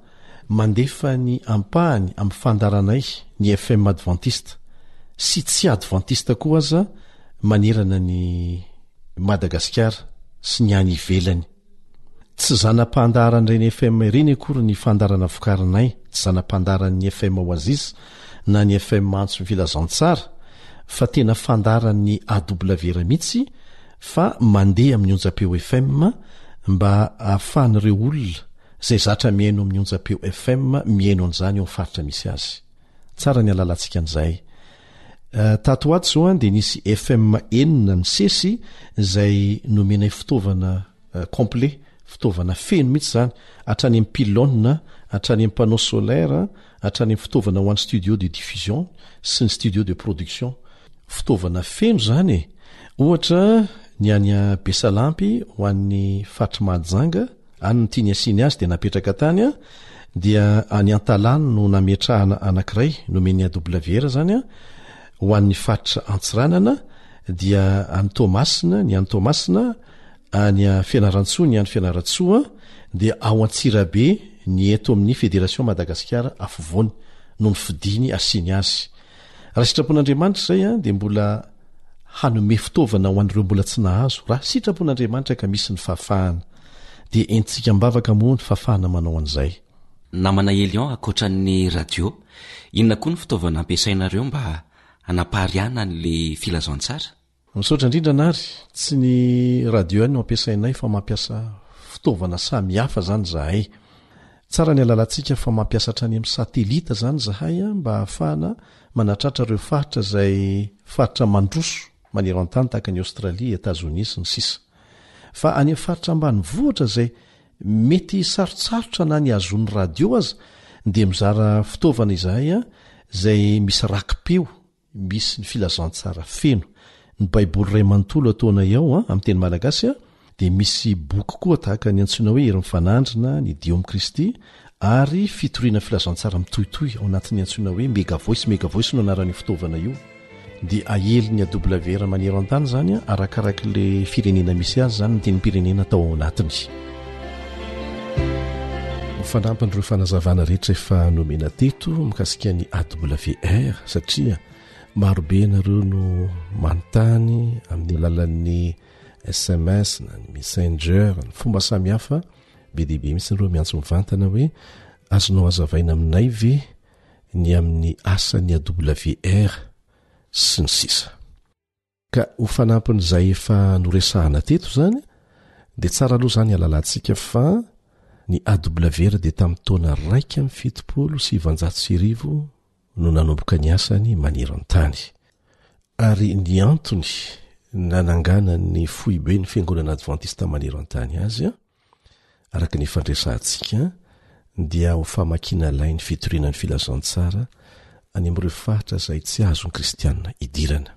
mandefa ny ampahany amin'ny fandaharanay ny FM Adventiste sy tsy Adventiste koa aza manerana ny Madagasikara sy ny any ivelany. Tsy zana-pandaharan'ireny FM ireny akory ny fandaharana vokarinay, tsy zana-pandaharan'ny FM Oasis na ny FM Antso ny Filazantsara, fa tena fandaharan'ny AWR mihitsy fa mandeha amin'ny onjam-peo FM mba ahafahan'ireo olona izay zatra mihaino amin'ny onjam-peo FM mihaino an'izany eo amin'ny faritra misy azy. Tsara ny halalantsika an'izay. Tato ho ato izao dia nisy FM enina nisesy izay nomenay fitaovana complet, fitaovana feno mihitsy izany, hatrany amin'ny pylône, hatrany amin'ny panneau solaire, hatrany amin'ny fitaovana ho an'ny studio de diffusion sy ny studio de production. Fitaovana feno izany e! Ohatra ny any Besalampy ho an'ny faritr'i Mahajanga, Any no tiany asiany azy dia napetraka tany dia any Antalaha no nametrahana anankiray nomen'ny AWR zany ho an'ny faritra Antsiranana dia any Toamasina ny any Toamasina any Fianarantsoa ny any Fianarantsoa dia ao Antsirabe ny eto amin'ny Fédération Madagasikara afovoany no nofidiny asiany azy. Raha sitrapon'Andriamanitra izay dia mbola hanome fitaovana ho an'ireo mbola tsy nahazo raha sitrapon'Andriamanitra ka misy ny fahafahana. Dia entintsika am-bavaka moa ny fahafahana manao an'izay. Namana Elion, ankoatra ny radio, inona koa ny fitaovana ampiasainareo mba hanapariahana an'ilay filazantsara? Misaotra indrindra Nary, tsy ny radio ihany no ampiasainay fa mampiasa fitaovana samihafa izany izahay. Tsara ny halalantsika fa mampiasa hatrany amin'ny satelita izany izahay mba hahafahana manatratra ireo faritra izay faritra mandroso maneran-tany tahaka an'i Aostralia, Etazonia sy ny sisa. Fa any amin'ny faritra ambanivohitra izay mety sarotsarotra na ny hahazoan'ny radio aza dia mizara fitaovana izahay izay misy raki-peo misy ny filazantsara feno. Ny Baiboly iray manontolo ataonay ao amin'ny teny malagasy dia misy boky koa tahaka ny antsoina hoe Hery Mifanandrina, ny Dio amin'i Kristy ary fitoriana filazantsara mitohitohy ao anatin'ny antsoina hoe Mega Voice. Mega Voice no anaran'io fitaovana io. Dia aelin'ny AWR maneran-tany izany arakarak'ilay firenena misy azy izany ny tenim-pirenena atao ao anatiny. Ho fanampin'ireo fanazavana rehetra efa nomena teto mikasika ny AWR satria marobe ianareo no manontany amin'ny alalan'ny. sms na ny messenger, ny fomba samihafa, be dia be mihitsy ireo miantso mivantana hoe azonao hazavaina aminay ve ny amin'ny asan'ny AWR sy ny sisa. Ka ho fanampin'izay efa noresahana teto izany dia tsara aloha izany halalantsika fa ny AWR dia tamin'ny taona 1971 no nanomboka ny asany maneran-tany. Ary ny antony nananganan'ny foiben'ny Fiangonana Advantista maneran-tany azy, araka ny efa niresahantsika, dia ho famakiana lay ny fitoriana ny filazantsara any amin'ireo faritra izay tsy azon'ny Kristianina idirana.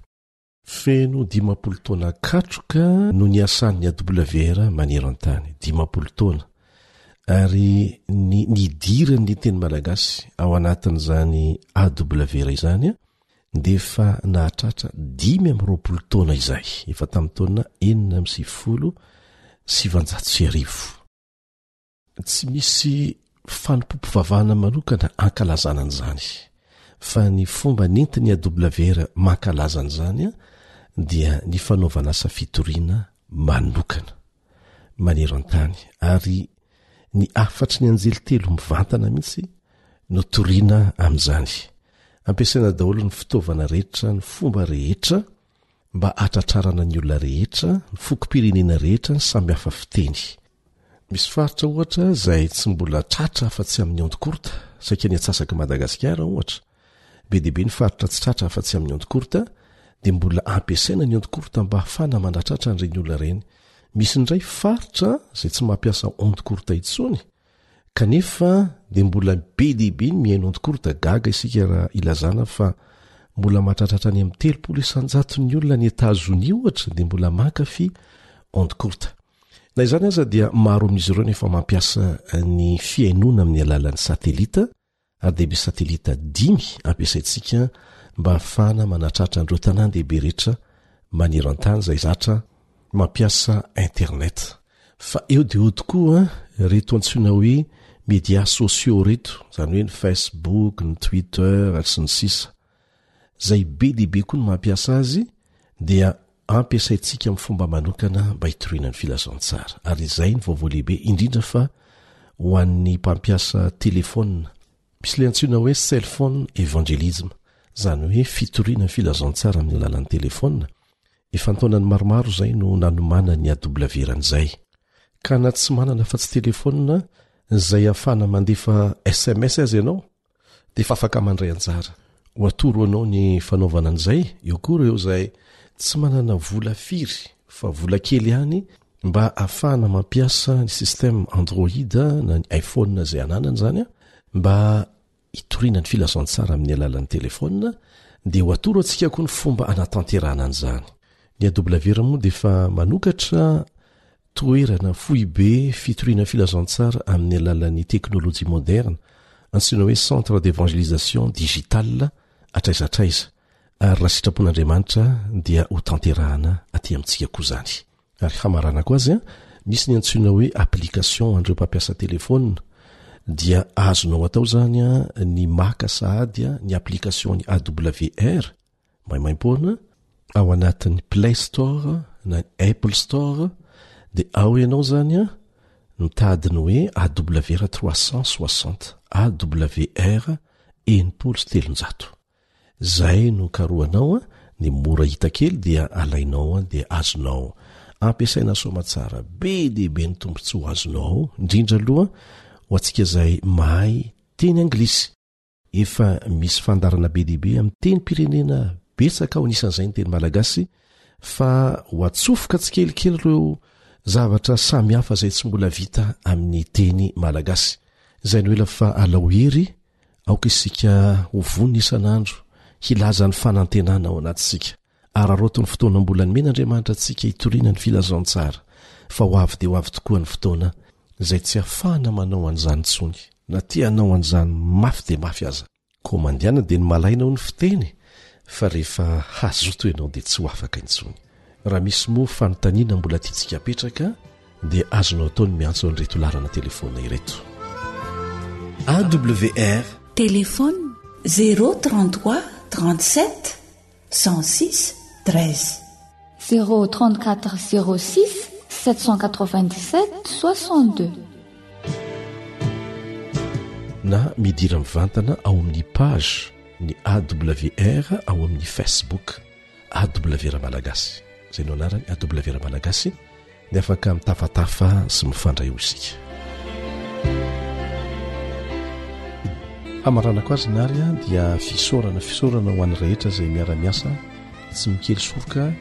Feno 50 taona katroka no niasan'ny AWR maneran-tany, 50 taona, ary ny nidiran'ny teny malagasy ao anatin'izany AWR izany dia efa nahatratra 25 taona izay, efa tamin'ny taona 1996. Tsy misy fanompoam-pivavahana manokana ankalazana an'izany, fa ny fomba nentin'ny AWR mankalaza an'izany dia ny fanaovana asa fitoriana manokana maneran-tany, ary ny hafatry ny anjely telo mivantana mihitsy no toriana amin'izany. Ampiasaina daholo ny fitaovana rehetra, ny fomba rehetra mba hatratrarana ny olona rehetra, ny fokom-pirenena rehetra, ny samy hafa fiteny. Misy faritra ohatra izay tsy mbola tratra afa-tsy amin'ny onde courte, saika ny antsasak'i Madagasikara ohatra. Be dia be ny faritra tsy tratra afa-tsy amin'ny onde courte, dia mbola ampiasaina ny onde courte mba hahafahana manatratra an'ireny olona ireny. Misy indray faritra izay tsy mampiasa onde courte intsony, Kanefa dia mbola be dia be ny mihaino onde courte, gaga isika raha ilazana fa mbola mahatratratra any amin'ny 30 isan-jaton'ny olona any Etazonia ohatra dia mbola mankafy onde courte. Na izany aza dia maro amin'izy ireo no efa mampiasa ny fihainoana amin'ny alalan'ny satelita ary dia misy satelita dimy ampiasaintsika mba hahafahana manatratra an'ireo tanàn-dehibe rehetra maneran-tany izay zatra mampiasa internet. Fa eo dia eo tokoa ireto antsoina hoe médias sociaux ireto, izany hoe ny Facebook, ny Twitter ary sy ny sisa. Izay be dia be koa ny mampiasa azy dia ampiasaintsika amin'ny fomba manokana mba hitoriana ny filazantsara. Ary izay ny vaovao lehibe, indrindra fa ho an'ny mpampiasa telefaonina. Misy ilay antsoina hoe cell phone evangelism, izany hoe fitoriana ny filazantsara amin'ny alalan'ny telefaonina. Efa an-taonany maromaro izay no nanomanan'ny AWR an'izay. Ka na tsy manana afa-tsy telefaonina izay ahafahana mandefa sms aza ianao, dia efa afaka mandray anjara. Ho atoro anao ny fanaovana an'izay, eo koa ireo izay tsy manana vola firy fa vola kely ihany mba ahafahana mampiasa ny système Android na ny iPhone izay ananany izany mba hitoriana ny filazantsara amin'ny alalan'ny telefaonina dia ho atoro antsika koa ny fomba anatanterahana an'izany. Ny AWR moa dia efa manokatra Toerana foibe fitoriana filazantsara amin'ny alalan'ny teknolojia moderna, antsoina hoe Centre d'Evangelisation Digital hatraiza hatraiza, ary raha sitrapon'Andriamanitra dia ho tanterahana aty amintsika koa izany. Ary hamaranako azy, misy ny antsoina hoe application ho an'ireo mpampiasa telefaonina, dia azonao atao izany ny maka sahady ny application-n'ny AWR, maimaimpoana ao anatin'ny play store na ny apple store dia ao ianao zany a mitady ny hoe awr 360 awr 360 zay no karohanao a ny mora hita kely dia alainao a dia azonao ampiasaina soamatsara be dia be ny tombontsoa azonao ao indrindra aloha ho antsika izay mahay teny anglisy Efa misy fandaharana be dia be amin'ny tenim-pirenena betsaka ao anisan'izay ny teny malagasy fa ho atsofoka tsikelikely ireo zavatra samihafa izay tsy mbola vita amin'ny teny malagasy. Izay no ela fa alao hery, aoka isika ho vonona isan'andro hilaza ny fanantenana ao anatintsika. Araraoty ny fotoana mbola nomen'Andriamanitra antsika hitoriana ny filazantsara, fa ho avy dia ho avy tokoa ny fotoana izay tsy hahafahana manao an'izany intsony, na te hanao an'izany mafy dia mafy aza. Koa mandehana dia ny malaina hoy ny fiteny, fa rehefa hazoto ianao dia tsy ho afaka intsony. Raha misy moa fanontaniana mbola tiantsika apetraka dia azonao atao ny miantso an'ireto laharana telefaonina ireto. AWR. Téléphone 0 33 37 106 13. 034 06 797 62. Na midira mivantana ao amin'ny page ny AWR ao amin'ny Facebook AWR Malagasy. Izay no anarany AWR Malagasy dia afaka mitafatafa sy mifandray eo isika. Hamaranako azy nary dia fisaorana fisaorana ho an'ny rehetra izay miara-miasa tsy mikely soroka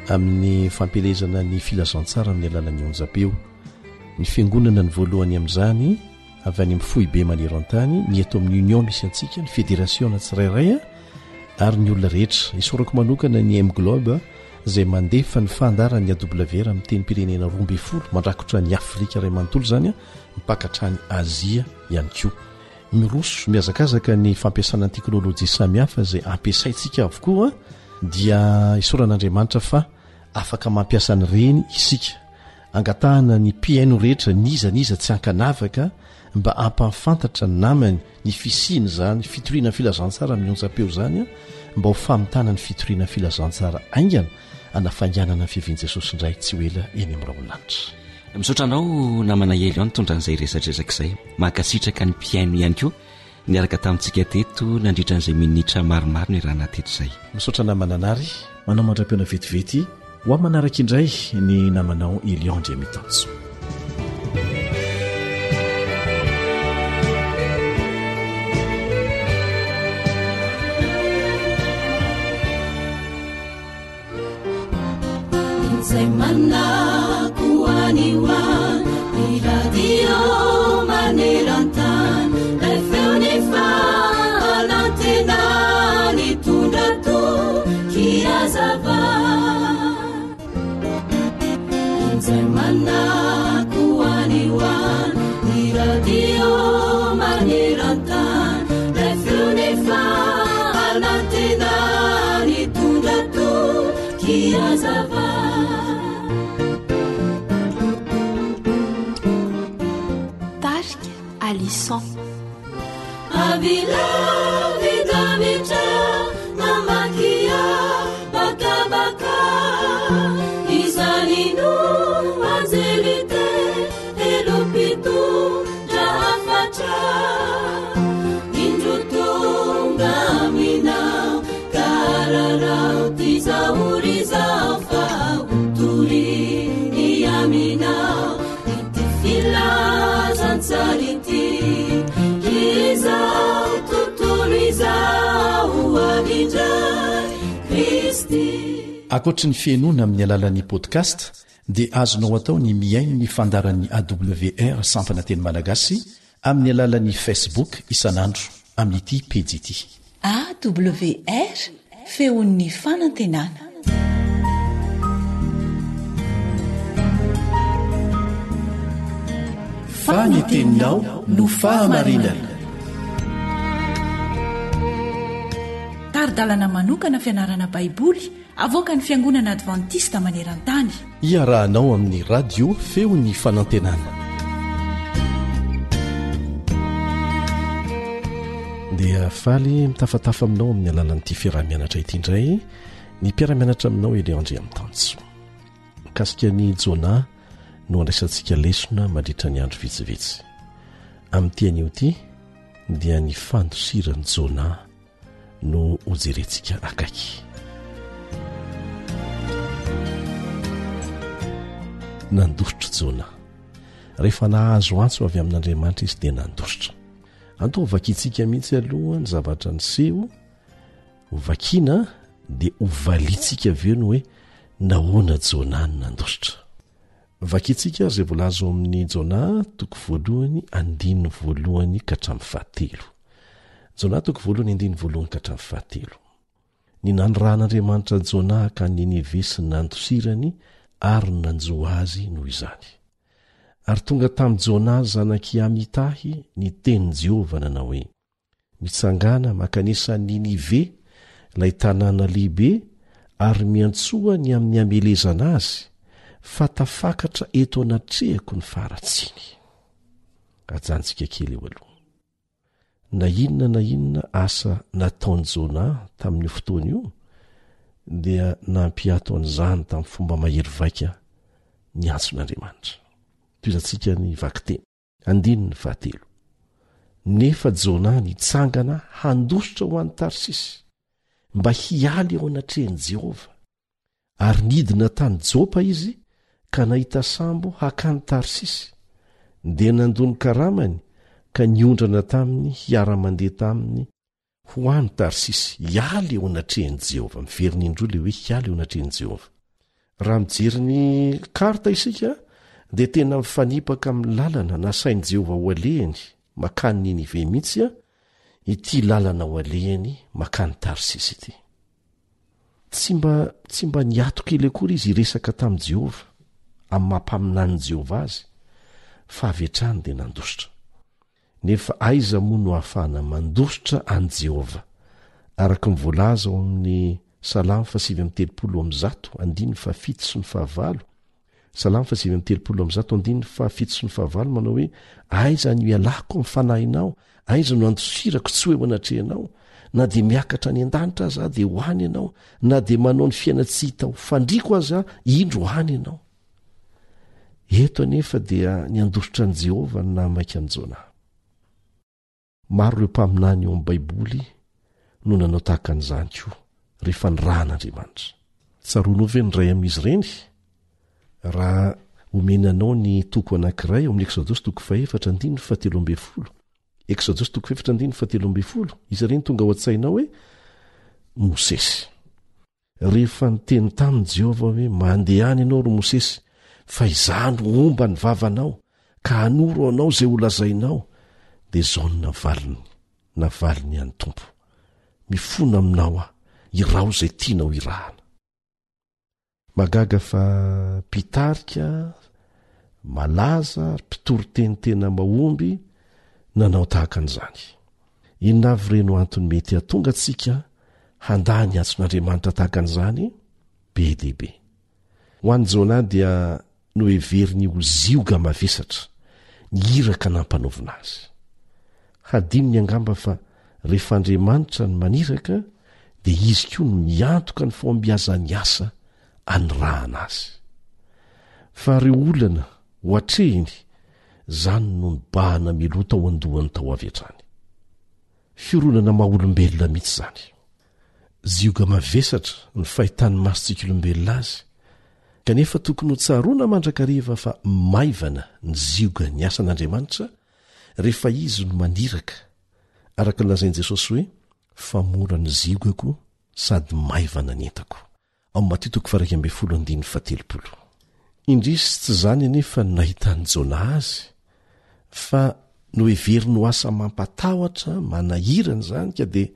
amin'ny fampielezana ny filazantsara amin'ny alalan'ny onjam-peo. Ny fiangonana ny voalohany amin'izany avy any amin'ny foibe maneran-tany, ny eto amin'ny Union misy antsika, ny federasiona tsirairay ary ny olona rehetra. Isaorako manokana ny M-Globe izay mandefa ny fandaharan'ny AWR amin'ny tenim-pirenena 12 mandrakotra ny Afrika iray manontolo izany, mipaka hatrany Azia ihany koa. Miroso mihazakazaka ny fampiasana ny teknolojia samihafa izay ampiasaintsika avokoa dia isaorana Andriamanitra fa afaka mampiasa an'ireny isika. Angatahana ny mpihaino rehetra n'iza n'iza tsy ankanavaka mba hampahafantatra ny namany ny fisian'izany fitoriana filazantsara amin'ny onjam-peo izany mba ho famitana ny fitoriana filazantsara haingana hanafainganana ny fiavian'i Jesosy indray tsy ho ela eny amin'ny rahon'ny lanitra. Misaotra anao namana Elion nitondra an'izay resadresaka izay. Mankasitraka ny mpihaino ihany koa Niaraka tamintsika teto nandritra an'izay minitra maromaro niarahana teto izay. Misaotra namana Nary. Manao mandra-pihaona vetivety ho amin'ny manaraka indray ny namanao Elion Andriamitanjo. Izay manako any ho any ny radio maneran-tany ilay feon'ny fanantenana nitondra toky hazava. Izay manako any ho any ny radio maneran-tany ilay feon'ny fanantenana nitondra toky hazava. Tarika Alison. Ankoatry ny fihainoana amin'ny alalan'ny podcast dia azonao atao ny mihaino ny fandaharan'ny AWR sampana teny malagasy amin'ny alalan'ny Facebook isan'andro amin'ity pejy ity. AWR, Feon'ny fanantenana. Fa ny teninao no fahamarinana. Tari-dalana manokana fianarana Baiboly avoakan'ny Fiangonana Advantista maneran-tany. Iarahanao amin'ny Radio Feon'ny Fanantenana. Dia faly mitafatafa aminao amin'ny alalan'ity fiaraha-mianatra ity indray ny mpiara-mianatra aminao Elion Andriamitanjo. Mikasika an'i Jonah no andraisantsika lesona mandritra ny andro vitsivitsy. Amin'ity anio ity dia ny fandosiran'i Jonah no hojerentsika akaiky. Nandositra Jona. Rehefa nahazo antso avy amin'Andriamanitra izy dia nandositra. Anto hovakintsika mihitsy aloha ny zavatra niseho, hovakina dia hovaliantsika avy eo ny hoe nahoana Jona no nandositra. Vakintsika ary izay voalaza ao amin'ny Jona toko voalohany andininy voalohany ka hatramin'ny fahatelo. Jona toko voalohany andininy voalohany ka hatramin'ny fahatelo. Ny nanirahan'Andriamanitra an'i Jona hankany Ninive sy ny nandosirany ary ny nanjo azy noho izany. Ary tonga tamin'i Jona zanak'i Amitahy ny tenin'i Jehovah nanao hoe, Mitsangàna mankanesa any Ninive, ilay tanàna lehibe, ary miantsoa ny amin'ny hamelezana azy, fa tafakatra eto anatrehako ny faharatsiany. Ajanontsika kely eo aloha. Na inona na inona asa nataon'i Jona tamin'io fotoana io, dia nampiato an'izany tamin'ny fomba mahery vaika ny antson'Andriamanitra. Tohizantsika ny vakiteny. Andininy fahatelo. Nefa Jonah nitsangana handositra ho any Tarsisy, mba hiala eo anatrehan'i Jehovah. Ary nidina tany Jopa izy ka nahita sambo hakany Tarsisy, dia nandoa ny karamany ka niondrana taminy hiara-mandeha taminy ho any Tarsisy, hiala eo anatrehan'i Jehovah. Miverina indroa ilay hoe hiala eo anatrehan'i Jehovah. Raha mijery ny karta isika, dia tena mifanipaka amin'ny lalana nasain'i Jehovah ho alehany makany Ninive mihitsy ity lalana ho alehany makany Tarsisy ity. Tsy mba tsy mba niato kely akory izy hiresaka tamin'i Jehovah, amin'ny maha mpaminanin'i Jehovah azy, fa avy hatrany dia nandositra. Nefa aiza moa no ahafahana mandositra an'i Jehovah? Araka ny voalaza ao amin'ny Salamo fahasivy 139, andininy fahafito sy ny fahavalo, Salamo faha 139 andininy fahafito sy ny fahavalo manao hoe, Aiza no ialako amin'ny fanahinao? Aiza no andosirako tsy ho eo anatrehanao? Na dia miakatra any an-danitra aza aho, dia ho any ianao, na dia manao ny fiaina-tsy hita ho fandriako aza aho, indro any ianao. Eto anefa dia ny handositra an'i Jehovah no nahamaika an'i Jona. Maro ireo mpaminany ao amin'ny Baiboly no nanao tahaka an'izany koa, rehefa nirahan'Andriamanitra. Tsaroanao ve ny iray amin'izy ireny? Raha omena anao ny toko anankiray ao amin'ny Eksodosy toko fahefatra andininy fahatelo ambin'ny folo, Eksodosy toko fahefatra andininy fahatelo ambin'ny folo, iza ireny tonga ao an-tsainao hoe Mosesy. Rehefa niteny taminy Jehovah hoe, Mandehana ianao, ry Mosesy, fa izaho no homba ny vavanao, ka hanoro anao izay holazainao, dia izao no navaliny, navaliny an'ny Tompo, Mifona aminao aho, iraho izay tianao hirahana. Mahagaga fa mpitarika malaza ary mpitory teny tena mahomby nanao tahaka an'izany. Inona avy re no antony mety hahatonga antsika handà ny antson'Andriamanitra tahaka an'izany? Be dia be. Ho an'i Jonah dia noheveriny ho zioga mavesatra ny iraka nampanaovina azy. Hadinony angamba fa rehefa Andriamanitra no maniraka dia izy koa no miantoka ny fahombiazan'ny asa anirahana azy. Fa ireo olana ho atrehiny, izany no nibahana mialoha tao an-dohany tao avy hatrany. Fironana maha-olombelona mihitsy izany. Zioga mavesatra ny fahitan'ny masontsika olombelona azy, kanefa tokony ho tsaroana mandrakariva fa maivana ny ziogan'ny asan'Andriamanitra rehefa Izy no maniraka, araka ny lazain'i Jesosy hoe, Fa mora ny ziogako sady maivana ny entako. Ao Matio toko faha-11 andininy faha-30. Indrisy tsy izany anefa no nahitan'i Jona azy, fa noheveriny ho asa mampatahotra, manahirana izany, ka dia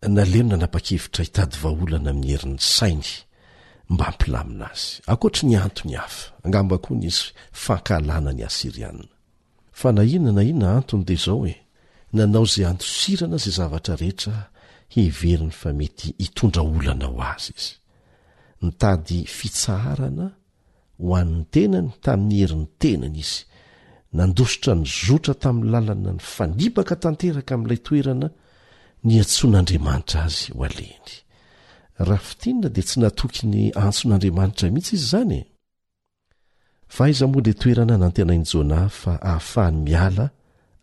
naleony nanapa-kevitra hitady vahaolana amin'ny herin'ny sainy mba hampilamina azy. Ankoatry ny antony hafa, angamba koa nisy fankahalana ny Asyriana. Fa na inona na inona antony dia izao e, nanao izay handosirana izay zavatra rehetra heveriny fa mety hitondra olana ho azy izy. Nitady fitsaharana ho an'ny tenany tamin'ny herin'ny tenany izy. Nandositra nizotra tamin'ny lalana nifanipaka tanteraka amin'ilay toerana niantsoan'Andriamanitra azy ho alehiny. Raha fintinina dia tsy natoky ny antson'Andriamanitra mihitsy izy izany e! Fa aiza moa ilay toerana nantenain'i Jonah fa ahafahany miala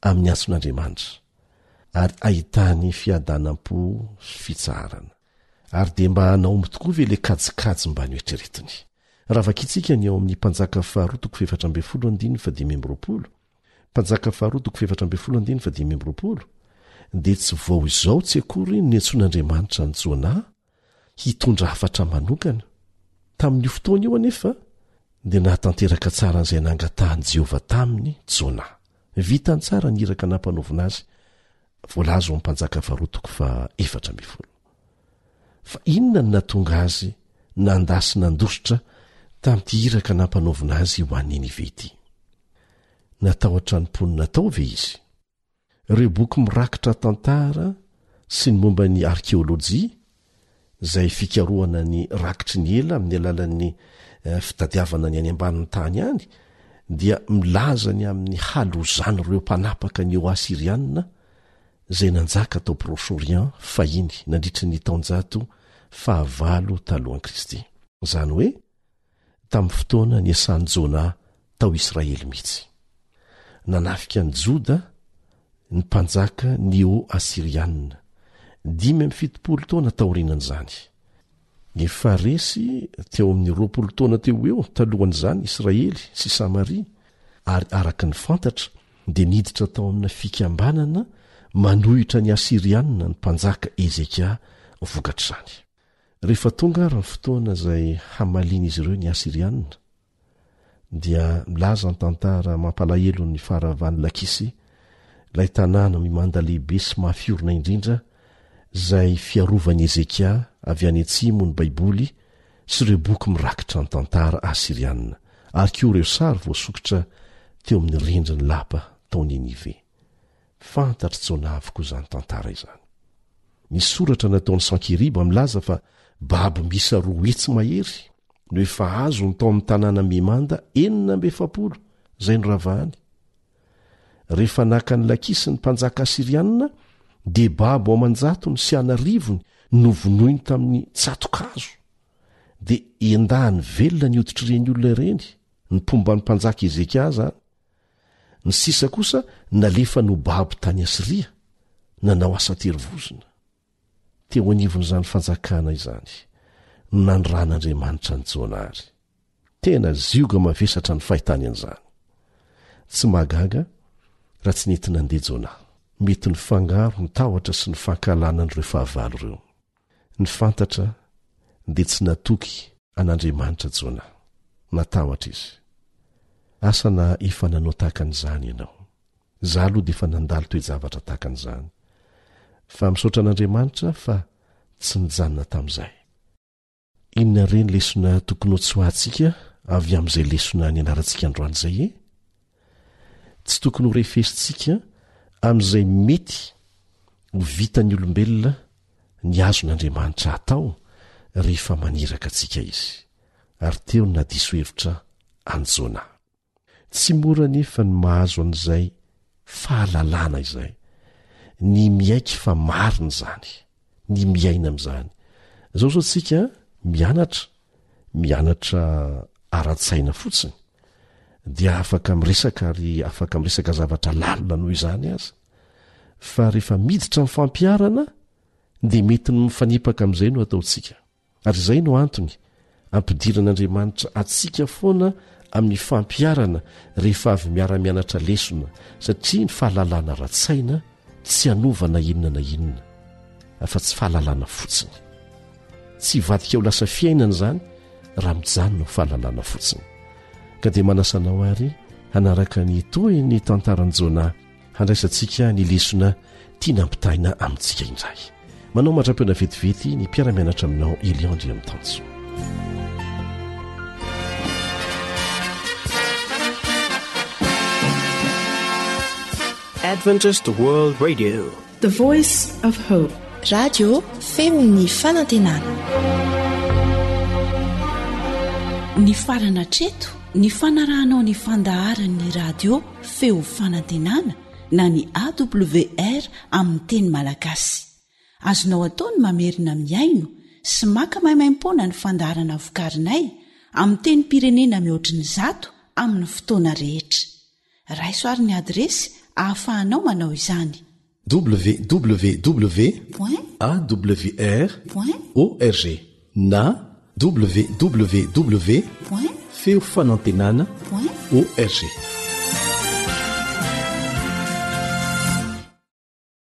amin'ny antson'Andriamanitra, ary ahitany fiadanam-po sy fitsaharana? Ary dia mba nahomby tokoa ve ilay kajikajy mba noeritreretiny? Raha vakintsika ny ao amin'ny Mpanjaka faharoa toko faha-14 andininy faha-25, Mpanjaka faharoa toko faha-14 andininy faha-25, dia tsy vao izao tsy akory no niantsoan'Andriamanitra an'i Jonah hitondra hafatra manokana. Tamin'io fotoana io anefa, dia nahatanteraka tsara an'izay nangatahan'i Jehovah taminy Jona. Vitany tsara ny iraka nampanaovina azy, voalaza ao amin'ny Mpanjaka faharoa toko faha-14. Fa inona no nahatonga azy nandà sy nandositra tamin'ity iraka nampanaovina azy ho any Ninive ity? Natahotra ny mponina tao ve izy? Ireo boky mirakitra tantara sy ny momba ny arkeolojia, izay fikarohana ny rakitry ny ela amin'ny alalan'ny fitadiavana ny any ambanin'ny tany any, dia milaza ny amin'ny halozan'ireo mpanapaka neo-asyrianina izay nanjaka tao Proche-Orient fahiny nandritry ny taonjato fahavalo talohan'i Kristy. Izany hoe tamin'ny fotoana niasan'i Jona tao Israely mihitsy. Nanafika an'i Joda ny mpanjaka neo-asyrianina, 75 taona taorianan'izany. Efa resy teo amin'ny 20 taona teo ho eo talohan'izany Israely sy Samaria, ary araka ny fantatra dia niditra tao amina fikambanana manohitra ny Asyrianina ny mpanjaka Hezekia vokatr'izany. Rehefa tonga ary ny fotoana izay hamalian'izy ireo ny Asyrianina, dia milaza ny tantara mampalahelo ny faharavan'i Lakisy, ilay tanàna mimanda lehibe sy mafy orina indrindra izay fiarovan'i Hezekia avy any atsimo ny Baiboly sy ireo boky mirakitra ny tantara asyrianina, ary koa ireo sary voasokitra teo amin'ny rindrin'ny lapa tao Ninive. Fantatr'i Jona avokoa izany tantara izany. Ny soratra nataon'i Sankeriba milaza fa babo miisa 200 mahery no efa azony tao amin'ny tanàna mimanda 46 izay noravahany. Rehefa naka an'i Lakisy ny mpanjaka asyrianina, dia babo aman-jatony sy an'arivony novonoiny tamin'ny tsato-kazo. Dia endahany velona ny hoditr'ireny olona ireny, ny mpomba ny mpanjaka Hezekia izany. Ny sisa kosa nalefany ho babo tany Asyria, nanao asa an-terivozona. Teo anivon'izany fanjakana izany no nanoran'Andriamanitra an'i Jona ary. Tena zioga mavesatra ny fahitany an'izany. Tsy mahagaga raha tsy nety nandeha Jona. Mety nifangaro ny tahotra sy ny fankahalana an'ireo fahavalo ireo. Ny fantatra dia tsy natoky an'Andriamanitra Jona. Natahotra izy. Asa na efa nanao tahaka an'izany ianao. Za aloha dia efa nandalo toe-javatra tahaka an'izany. Fa misaotra an'Andriamanitra fa tsy nijanona tamin'izay. Inona re ny lesona tokony hotsoahantsika avy amin'izay lesona nianarantsika androany izay e? Tsy tokony ho refesintsika amin'izay mety ho vitan'ny olombelona ny azon'Andriamanitra atao rehefa maniraka antsika izy. Ary teo no nahadiso hevitra an'i Jona. Tsy mora anefa ny mahazo an'izay fahalalana izay, ny miaiky fa marina izany, ny miaina amin'izany. Izao izao tsika mianatra, mianatra ara-tsaina fotsiny, dia afaka miresaka ary afaka miresaka zavatra lalina noho izany aza. Fa rehefa miditra amin'ny fampiharana dia mety ny mifanipaka amin'izay no ataontsika. Ary izay no antony ampidiran'Andriamanitra antsika foana amin'ny fampiharana rehefa avy miara-mianatra lesona, satria ny fahalalana ara-tsaina tsy hanova na inona na inona, afa-tsy fahalalana fotsiny. Tsy hivadika ho lasa fiainana izany raha mijanona ho fahalalana fotsiny. Ka dia manasa anao àry hanaraka ny tohin'ny tantaran'i Jonah Handraisantsika ny lesona tiana ampitaina amintsika indray. Manao mandra-pihaona vetivety ny mpiara-mianatra aminao Elion Andriamitanjo. Adventist World Radio. The Voice of Hope. Radio feon'ny fanantenana. Nifarana hatreto ny fanarahanao ny fandaharan'ny radio Feo Fanantenana na ny AWR amin'ny teny malagasy. Azonao atao ny mamerina mihaino sy maka maimaimpoana ny fandaharana vokarinay amin'ny tenim-pirenena mihoatry ny zato amin'ny fotoana rehetra. Raiso ary ny adiresy ahafahanao manao izany. www awr org na www feofanantenana org.